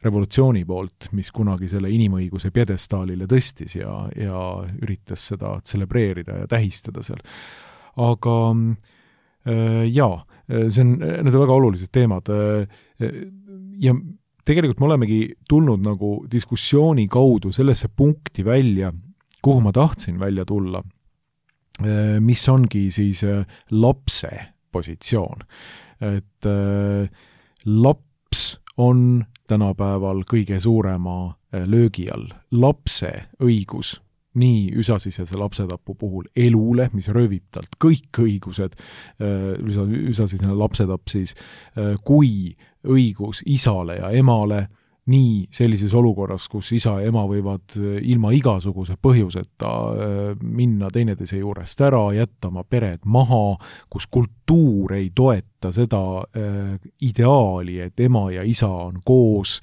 revolutsiooni poolt, mis kunagi selle inimõiguse pjedestaalile tõstis ja, ja üritas seda tselebreerida ja tähistada seal. Aga äh, jaa, see on, need on väga olulised teemad ja tegelikult me olemegi tulnud nagu diskussiooni kaudu sellesse punkti välja, kuhu ma tahtsin välja tulla, mis ongi siis lapse positsioon. Et laps on tänapäeval kõige suurema löögi all. Lapse õigus, nii üsasisese lapsetapu puhul elule, mis röövib talt kõik õigused, üsasisene lapsetapp siis, kui õigus isale ja emale, nii sellises olukorras, kus isa ja ema võivad ilma igasuguse põhjuseta minna teineteise juurest ära, jätta oma pered maha, kus kultuur ei toeta seda ideaali, et ema ja isa on koos,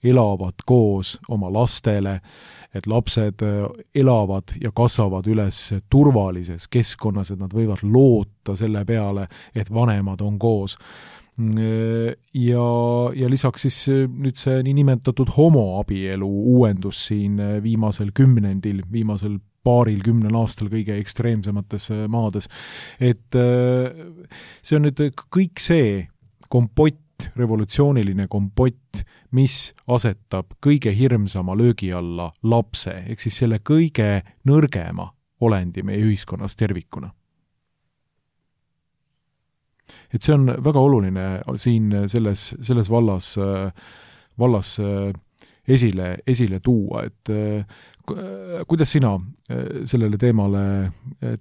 elavad koos oma lastele, et lapsed elavad ja kasvavad üles turvalises keskkonnas, et nad võivad loota selle peale, et vanemad on koos. Ja, ja lisaks siis nüüd see nii nimetatud homoabielu uuendus siin viimasel kümnendil, viimasel paaril kümnel aastal kõige ekstreemsemates maades. Et see on nüüd kõik see kompott, revolutsiooniline kompott, mis asetab kõige hirmsama löögi alla lapse, ehk siis selle kõige nõrgema olendi meie ühiskonnas tervikuna. Et see on väga oluline siin selles, selles vallas, vallas esile, esile tuua, et kuidas sina sellele teemale,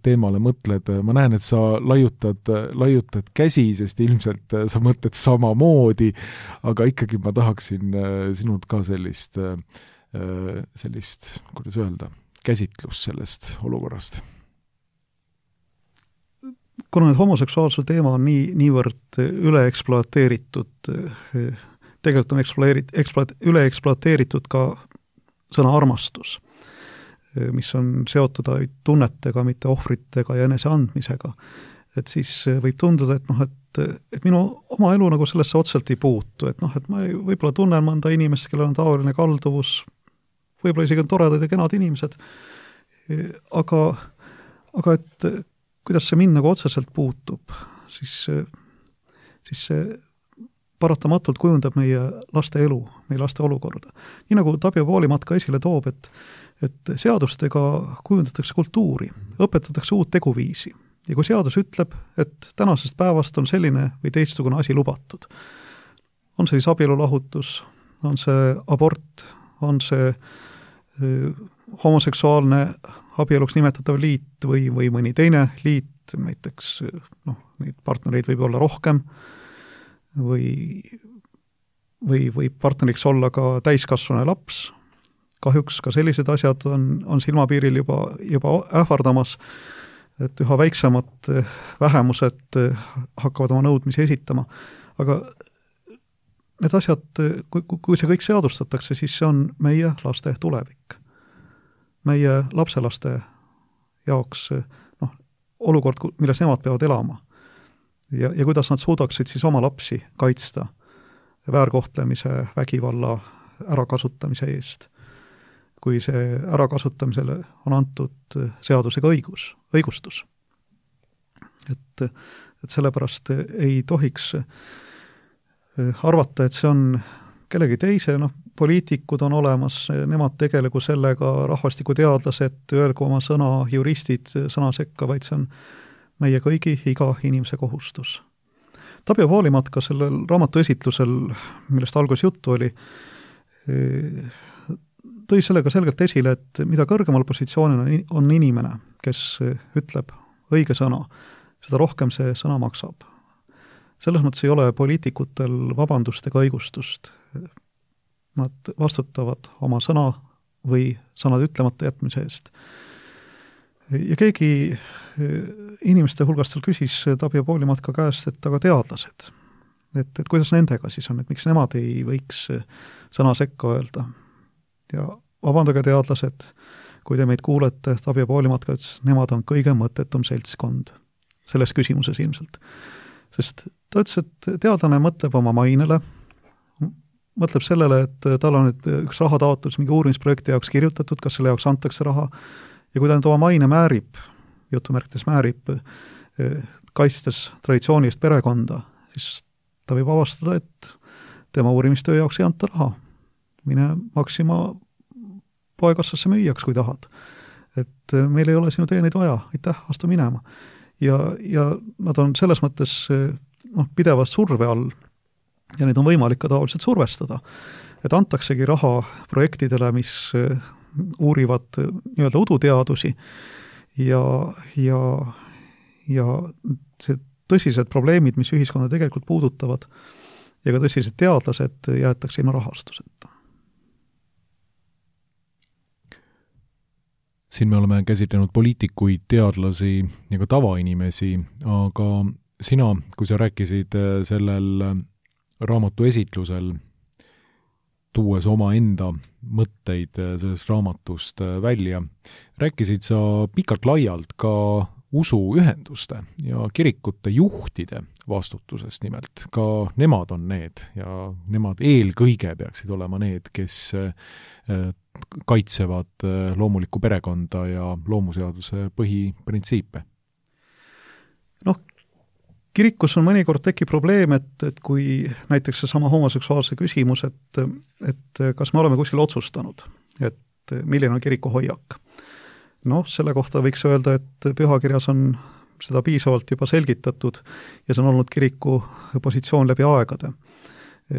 teemale mõtled? Ma näen, et sa laiutad, laiutad käsi, sest ilmselt sa mõtled samamoodi, aga ikkagi ma tahaksin sinult ka sellist, sellist, kuidas öelda, käsitlust sellest olukorrast. Kuna need homoseksuaalsuse teema on nii, niivõrd üle ekspluateeritud, tegelikult on ekspluateeritud, ekspluat, üle ekspluateeritud ka sõna armastus, mis on seotud tunnetega, mitte ohvritega ja enese andmisega. Et siis võib tunduda, et, noh, et, et minu oma elu nagu sellesse otselt ei puutu, et, noh, et ma ei, võib-olla tunnen mõnda inimest, kellel on taoline kalduvus, võib-olla isegi on toredad ja kenad inimesed, aga, aga et kuidas see mind nagu otseselt puutub, siis, siis see paratamatult kujundab meie laste elu, meie laste olukorda. Nii nagu Tabio Poolimat ka esile toob, et, et seadustega kujundatakse kultuuri, õpetatakse uut teguviisi. Ja kui seadus ütleb, et tänasest päevast on selline või teistsugune asi lubatud, on see siis abielulahutus, on see abort, on see öö, homoseksuaalne abieluks nimetatav liit või, või mõni teine liit, näiteks noh, neid partnereid võib olla rohkem või, või võib partneriks olla ka täiskasvanu laps. Kahjuks ka sellised asjad on, on silmapiiril juba, juba ähvardamas, et üha väiksemad vähemused hakkavad oma nõudmisi esitama. Aga need asjad, kui, kui see kõik seadustatakse, siis see on meie laste tulevik. Meie lapselaste jaoks noh, olukord, milles nemad peavad elama. Ja, ja kuidas nad suudaksid siis oma lapsi kaitsta väärkohtlemise, vägivalla, ärakasutamise eest. Kui see ärakasutamisele on antud seadusega õigus, õigustus. Et, et sellepärast ei tohiks arvata, et see on kellegi teise, noh, poliitikud on olemas, nemad tegelegu sellega, rahvastikuteadlased, öelgu oma sõna, juristid sõna sekka, vaid see on meie kõigi, iga inimese kohustus. Tapio Poolimatka sellel raamatu esitlusel, millest alguses juttu oli, tõi sellega selgelt esile, et mida kõrgemal positsioonil on inimene, kes ütleb õige sõna, seda rohkem see sõna maksab. Selles mõttes ei ole poliitikutel vabandust ega õigustust. Nad vastutavad oma sõna või sõnad ütlemata jätmise eest. Ja keegi inimeste hulgast seal küsis Tapio Poolimatka käest, et aga teadlased, et, et kuidas nendega siis on, et miks nemad ei võiks sõna sekka öelda. Ja vabandage teadlased, kui te meid kuulete, Tapio Poolimatka ütles, nemad on kõige mõttetum seltskond selles küsimuses ilmselt. Sest ta ütles, et teadlane mõtleb oma mainele, mõtleb sellele, et tal on nüüd üks rahataotlus mingi uurimisprojekti jaoks kirjutatud, kas selle jaoks antakse raha, ja kui ta nüüd oma maine määrib, jutumärkides määrib, kaitstes traditsioonilist perekonda, siis ta võib avastada, et tema uurimistöö jaoks ei anta raha. Mine Maxima poekassasse müüjaks, kui tahad. Et meil ei ole sinu teeneid vaja, aitäh, astu minema. Ja, ja nad on selles mõttes noh, pidevas surve all ja neid on võimalik ka taoliselt survestada. Et antaksegi raha projektidele, mis uurivad nii-öelda uduteadusi ja, ja, ja see tõsised probleemid, mis ühiskonda tegelikult puudutavad ja ka tõsised teadlased jäetakse ilma rahastuseta. Siin me oleme käsitlenud poliitikuid, teadlasi ja ka tavainimesi, aga sina, kui sa rääkisid sellel raamatu esitlusel, tuues oma enda mõtteid sellest raamatust välja, rääkisid sa pikalt laialt ka usuühenduste ja kirikute juhtide vastutusest nimelt. Ka nemad on need ja nemad eelkõige peaksid olema need, kes kaitsevad loomulikku perekonda ja loomuseaduse põhiprintsiipe. Noh, kirikus on mõnikord tekib probleem, et, et kui näiteks see sama homoseksuaalse küsimus, et, et kas me oleme kuskil otsustanud, et milline on kiriku hoiak. Noh, selle kohta võiks öelda, et pühakirjas on seda piisavalt juba selgitatud ja see on olnud kiriku positsioon läbi aegade.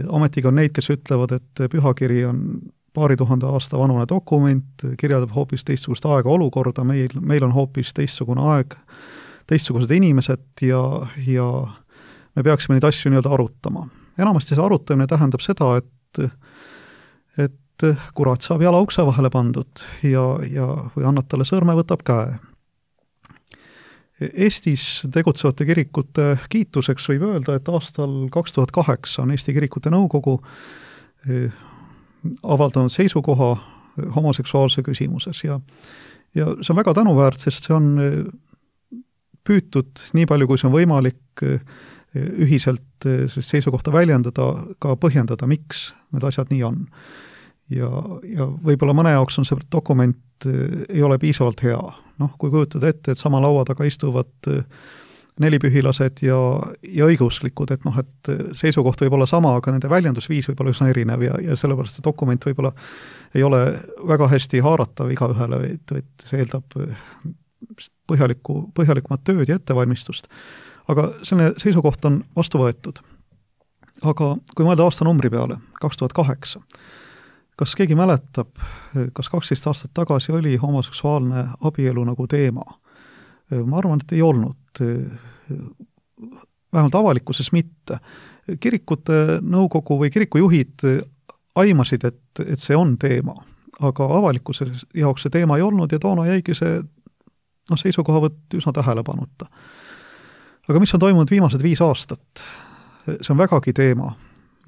Ometiga on neid, kes ütlevad, et pühakiri on paari tuhande aasta vanune dokument, kirjeldab hoopis teistsugust aega olukorda, meil, meil on hoopis teistsugune aeg, teistsugused inimesed ja, ja me peaksime neid asju nii-öelda arutama. Enamasti see arutamine tähendab seda, et, et kurat saab jala ukse vahele pandud ja, ja või annad talle sõrme, võtab käe. Eestis tegutsevate kirikute kiituseks võib öelda, et aastal kaks tuhat kaheksa on Eesti Kirikute Nõukogu avaldanud seisukoha homoseksuaalse küsimuses ja, ja see on väga tänuväärt, sest see on püütud nii palju, kui see on võimalik ühiselt seisukohta väljendada, ka põhjendada, miks need asjad nii on. Ja, ja võib-olla mõne jaoks on see dokument ei ole piisavalt hea. Noh, kui kujutad ette, et sama laua taga istuvad nelipühilased ja, ja õiguslikud, et noh, et seisukoht võib olla sama, aga nende väljendusviis võib olla üsna erinev ja, ja sellepärast see dokument võib-olla ei ole väga hästi haaratav iga ühele, et, et see eeldab põhjaliku, põhjalikumat tööd ja ettevalmistust. Aga selline seisukoht on vastu võetud. Aga kui mõelda aastanumbri peale, kaks tuhat kaheksa, kas keegi mäletab, kas kaksteist aastat tagasi oli homoseksuaalne abielu nagu teema? Ma arvan, et ei olnud. Vähemalt avalikkuses mitte. Kirikute nõukogu või kirikujuhid aimasid, et, et see on teema, aga avalikkuse jaoks see teema ei olnud ja toona jäigi see no, seisukohavõtt üsna tähelepanuta. Aga mis on toimunud viimased viis aastat? See on vägagi teema.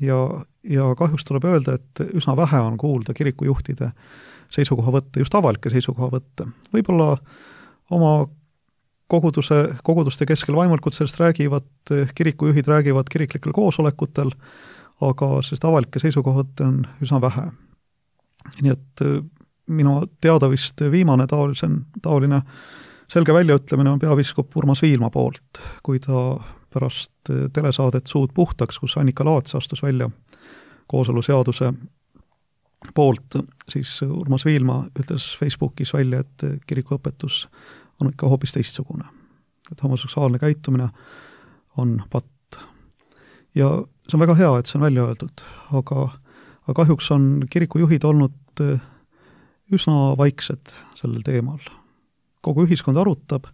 Ja, ja kahjuks tuleb öelda, et üsna vähe on kuulda kirikujuhtide seisukohavõtte, just avalikke seisukohavõtte. Võib-olla oma koguduse, koguduste keskel vaimulikult sellest räägivad, kirikujuhid räägivad kiriklikel koosolekutel, aga sellest avalikke seisukohavõtte on üsna vähe. Nii et minu teada vist viimane taolisen, taoline selge väljaütlemine on peapiiskop Urmas Viilma poolt, kui ta pärast telesaadet Suud puhtaks, kus Annika Laats astus välja kooseluseaduse poolt, siis Urmas Viilma ütles Facebookis välja, et kirikuõpetus on ikka hoopis teistsugune. Et homoseksuaalne käitumine on patt. Ja see on väga hea, et see on välja öeldud, aga, aga kahjuks on kirikujuhid olnud üsna vaiksed sellel teemal. Kogu ühiskond arutab,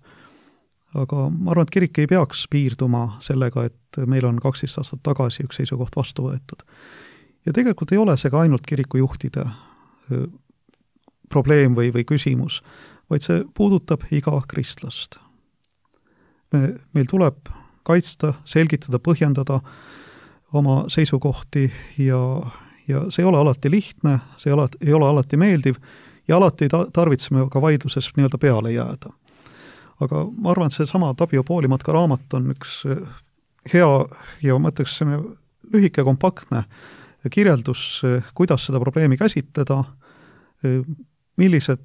aga ma arvan, et kirik ei peaks piirduma sellega, et meil on kaksteist aastat tagasi üks seisukoht vastu võetud. Ja tegelikult ei ole see ka ainult kirikujuhtide probleem või, või küsimus, vaid see puudutab iga kristlast. Me, meil tuleb kaitsta, selgitada, põhjendada oma seisukohti ja, ja see ei ole alati lihtne, see ei ole, ei ole alati meeldiv ja alati ta, tarvitseme ka vaidluses nii-öelda peale jääda. Aga ma arvan, et see sama Tapio Poolimatka raamat on üks hea ja ma ütleks lühike kompaktne kirjeldus, kuidas seda probleemi käsitleda, millised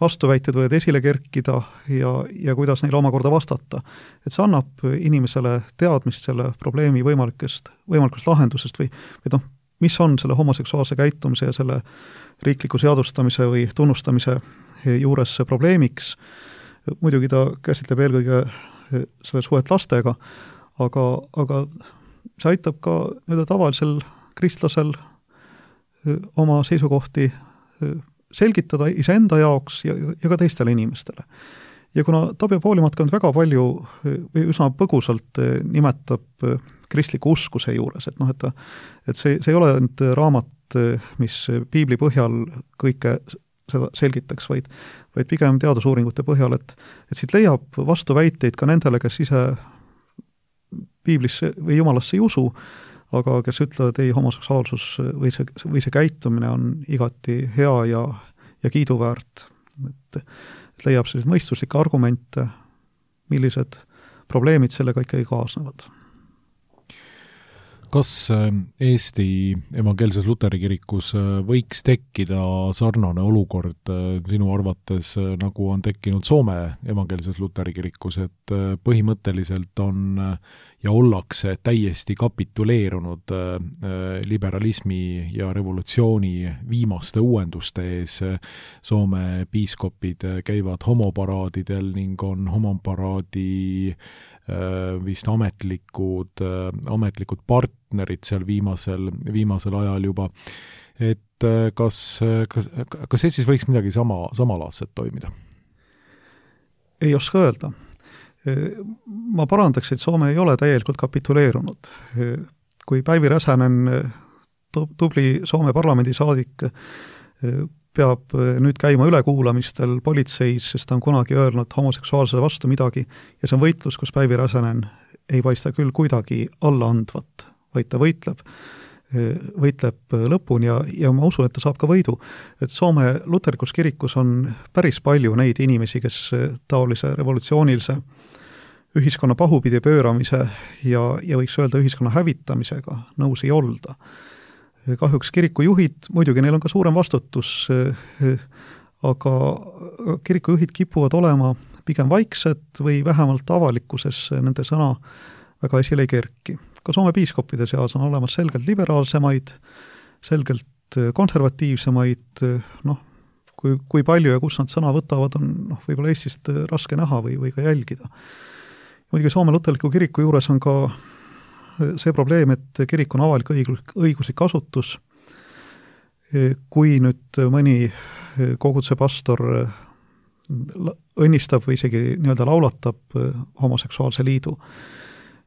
vastuväited võivad esile kerkida ja, ja kuidas neile omakorda vastata. Et see annab inimesele teadmist selle probleemi võimalikest, võimalikest lahendusest või, või noh, mis on selle homoseksuaalse käitumise ja selle riikliku seadustamise või tunnustamise juures probleemiks. Muidugi ta käsitleb eelkõige selle suhet lastega, aga, aga see aitab ka nüüd tavalisel kristlasel oma seisukohti selgitada iseenda jaoks ja, ja ka teistele inimestele. Ja kuna Tapio Poolimatka on väga palju või üsna põgusalt nimetab kristliku usku see juures, et, noh, et, ta, et see, see ei ole nüüd raamat, mis piibli põhjal kõike seda selgitaks, vaid, vaid pigem teadusuuringute põhjal, et, et siit leiab vastuväiteid ka nendele, kes ise piiblisse või jumalasse ei usu, aga kes ütlevad, ei, homoseksuaalsus või see, või see käitumine on igati hea ja, ja kiiduväärt. Et, et leiab sellised mõistuslikke argumente, millised probleemid sellega ikkagi kaasnevad. Kas Eesti evangeelses luteri kirikus võiks tekkida sarnane olukord sinu arvates, nagu on tekkinud Soome evangeelses luteri kirikus, et põhimõtteliselt on ja ollakse täiesti kapituleerunud liberalismi ja revolutsiooni viimaste uuenduste ees. Soome piiskopid käivad homoparaadidel ning on homoparaadi vist ametlikud, ametlikud partnerid seal viimasel, viimasel ajal juba. Et kas, kas, kas Eestis võiks midagi sama, samalaadset toimida? Ei oska öelda. Ma parandaks, et Soome ei ole täielikult kapituleerunud. Kui Päivi Räsänen, tubli Soome parlamendisaadik, peab nüüd käima ülekuulamistel politseis, sest ta on kunagi öelnud homoseksuaalsele vastu midagi ja see on võitlus, kus Päivi Räsänen ei paista küll kuidagi allaandvat, vaid ta võitleb, võitleb lõpuni ja, ja ma usun, et ta saab ka võidu. Et Soome luterlikus kirikus on päris palju neid inimesi, kes taolise revolutsioonilise ühiskonna pahupidi pööramise ja, ja võiks öelda ühiskonna hävitamisega nõus ei olda. Kahjuks kirikujuhid, muidugi neil on ka suurem vastutus, aga kirikujuhid kipuvad olema pigem vaiksed või vähemalt avalikkuses nende sõna väga esile ei kerki. Ka Soome piiskopide seas on olemas selgelt liberaalsemaid, selgelt konservatiivsemaid, noh, kui, kui palju ja kus nad sõna võtavad, on noh, võib-olla Eestist raske näha või, või ka jälgida. Muidugi Soome luterliku kiriku juures on ka see probleem, et kirik on avalik õiguslik asutus. Kui nüüd mõni koguduse pastor õnnistab või isegi nii-öelda laulatab homoseksuaalse liidu,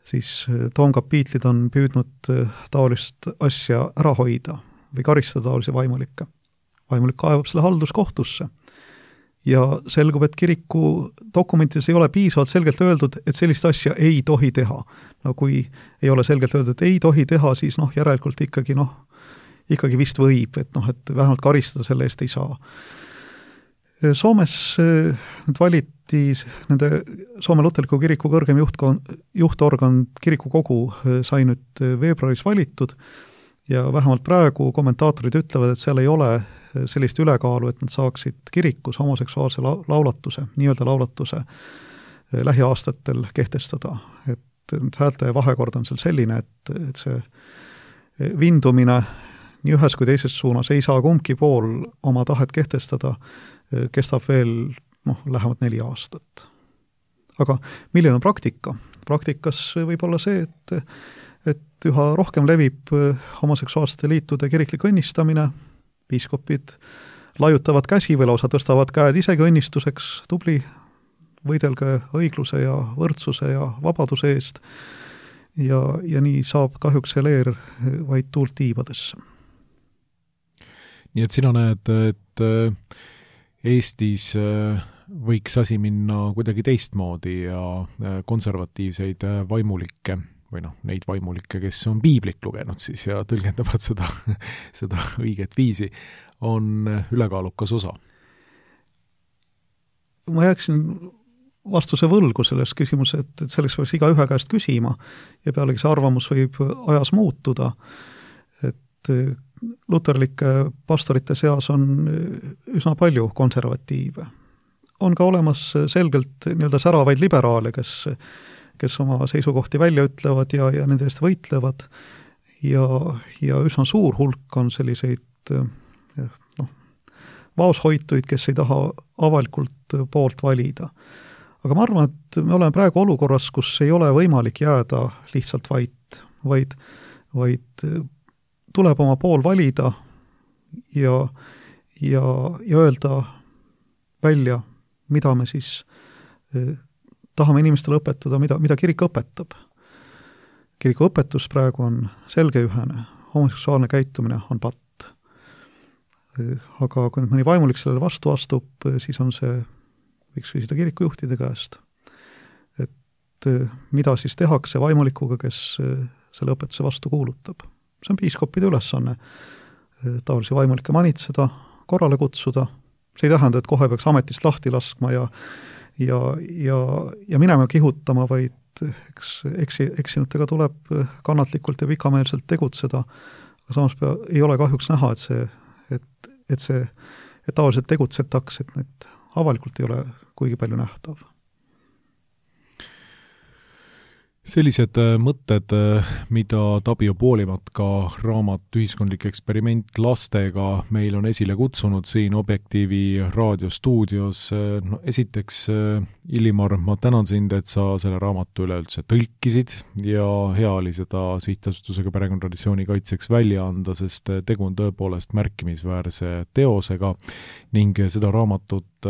siis toomkapiitlid on püüdnud taolist asja ära hoida või karistada taolisi vaimulikke. Vaimulik kaevab selle halduskohtusse. Ja selgub, et kiriku dokumentides ei ole piisavalt selgelt öeldud, et sellist asja ei tohi teha. No kui ei ole selgelt öeldud, et ei tohi teha, siis noh, järelikult ikkagi, noh, ikkagi vist võib, et noh, et vähemalt karistada selle eest ei saa. Soomes nüüd valiti nende Soome luterliku kiriku kõrgem juhtkon, juhtorgan kirikukogu sai nüüd veebruaris valitud ja vähemalt praegu kommentaatorid ütlevad, et seal ei ole sellist ülekaalu, et nad saaksid kirikus homoseksuaalse laulatuse, nii-öelda laulatuse lähiaastatel kehtestada. Et häälte vahekord on seal selline, et, et see vindumine nii ühes kui teises suunas, ei saa kumbki pool oma tahet kehtestada, kestab veel noh, lähemalt neli aastat. Aga milline on praktika? Praktikas võib olla see, et, et üha rohkem levib homoseksuaalsete liitude kiriklik õnnistamine, piiskopid laiutavad käsi või lausa tõstavad käed isegi õnnistuseks, tubli, võidelge õigluse ja võrdsuse ja vabaduse eest ja, ja nii saab kahjuks see leer vaid tuult tiibadesse. Nii et sina näed, et Eestis võiks asi minna kuidagi teistmoodi ja konservatiivseid vaimulikke või noh, neid vaimulikke, kes on piiblit lugenud siis ja tõlgendavad seda, seda õiget viisi, on ülekaalukas osa. Ma jääksin vastuse võlgu selles küsimus, et, et selleks peaks iga ühe käest küsima ja pealegi see arvamus võib ajas muutuda, et luterlike pastorite seas on üsna palju konservatiive. On ka olemas selgelt nii-öelda säravaid liberaale, kes, kes oma seisukohti välja ütlevad ja, ja nende eest võitlevad ja, ja üsna suur hulk on selliseid noh, vaoshoituid, kes ei taha avalikult poolt valida. Aga ma arvan, et me oleme praegu olukorras, kus ei ole võimalik jääda lihtsalt vait, vaid, vaid tuleb oma pool valida ja, ja, ja öelda välja, mida me siis eh, tahame inimestele õpetada, mida, mida kirik õpetab. Kiriku õpetus praegu on selge ühene, homoseksuaalne käitumine on patt. Eh, aga kui nüüd mõni vaimulik sellele vastu astub, eh, siis on see, võiks küsida kirikujuhtide käest, et eh, mida siis tehakse vaimulikuga, kes eh, selle õpetuse vastu kuulutab. See on piiskopide ülesanne taolisi vaimulikke manitseda, korrale kutsuda. See ei tähenda, et kohe peaks ametist lahti laskma ja, ja, ja, ja minema kihutama, vaid eks, eksi, eksinutega tuleb kannatlikult ja pikameelselt tegutseda. Aga samas pea, ei ole kahjuks näha, et see, et, et see, et taoliselt tegutsetaks, et need avalikult ei ole kuigi palju nähtav. Sellised mõtted, mida Tapio Poolimatka raamat Ühiskondlik eksperiment lastega meil on esile kutsunud siin Objektiivi raadiostuudios. No, esiteks, Illimar, ma tänan sind, et sa selle raamatu üleüldse tõlkisid ja hea oli seda sihtasutusega Perekonnatraditsiooni kaitseks välja anda, sest tegu on tõepoolest märkimisväärse teosega ning seda raamatut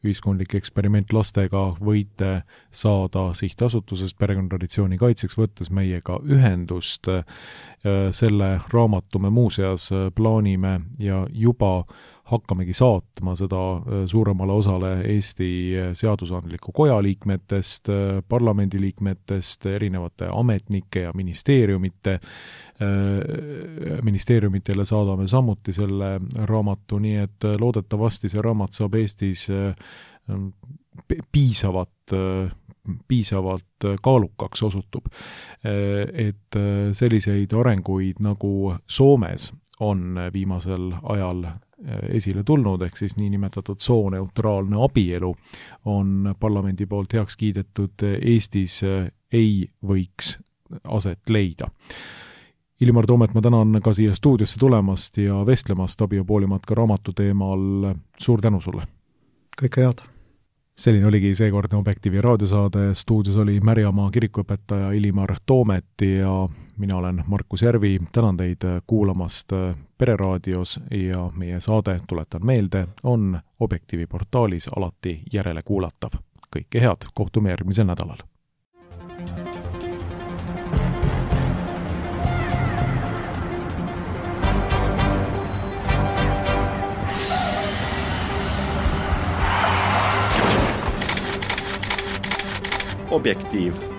Ühiskondlik eksperiment lastega võite saada sihtasutusest Perekonnatraditsiooni kaitseks, võttes meiega ühendust. Selle raamatu me muuseas plaanime ja juba hakkamegi saatma seda suuremale osale Eesti seadusandliku koja liikmetest, parlamendiliikmetest, erinevate ametnike ja ministeeriumite. Ministeeriumitele saadame samuti selle raamatu, nii et loodetavasti see raamat saab Eestis piisavat, piisavalt kaalukaks osutub. Et selliseid arenguid nagu Soomes on viimasel ajal esile tulnud, ehk siis niinimetatud sooneutraalne abielu on parlamendi poolt heaks kiidetud, Eestis ei võiks aset leida. Illimar Toomet, ma tänan ka siia stuudiosse tulemast ja vestlemast Tapio Poolimatka raamatu teemal. Suur tänu sulle! Kõike head! Selline oligi seekordne Objektiivi raadiosaade. Stuudios oli Märjamaa kirikuõpetaja Illimar Toomet ja mina olen Markus Järvi. Tänan teid kuulamast Pereraadios ja meie saade, tuletan meelde, on Objektiivi portaalis alati järele kuulatav. Kõike head, kohtume järgmisel nädalal. Objektiiv.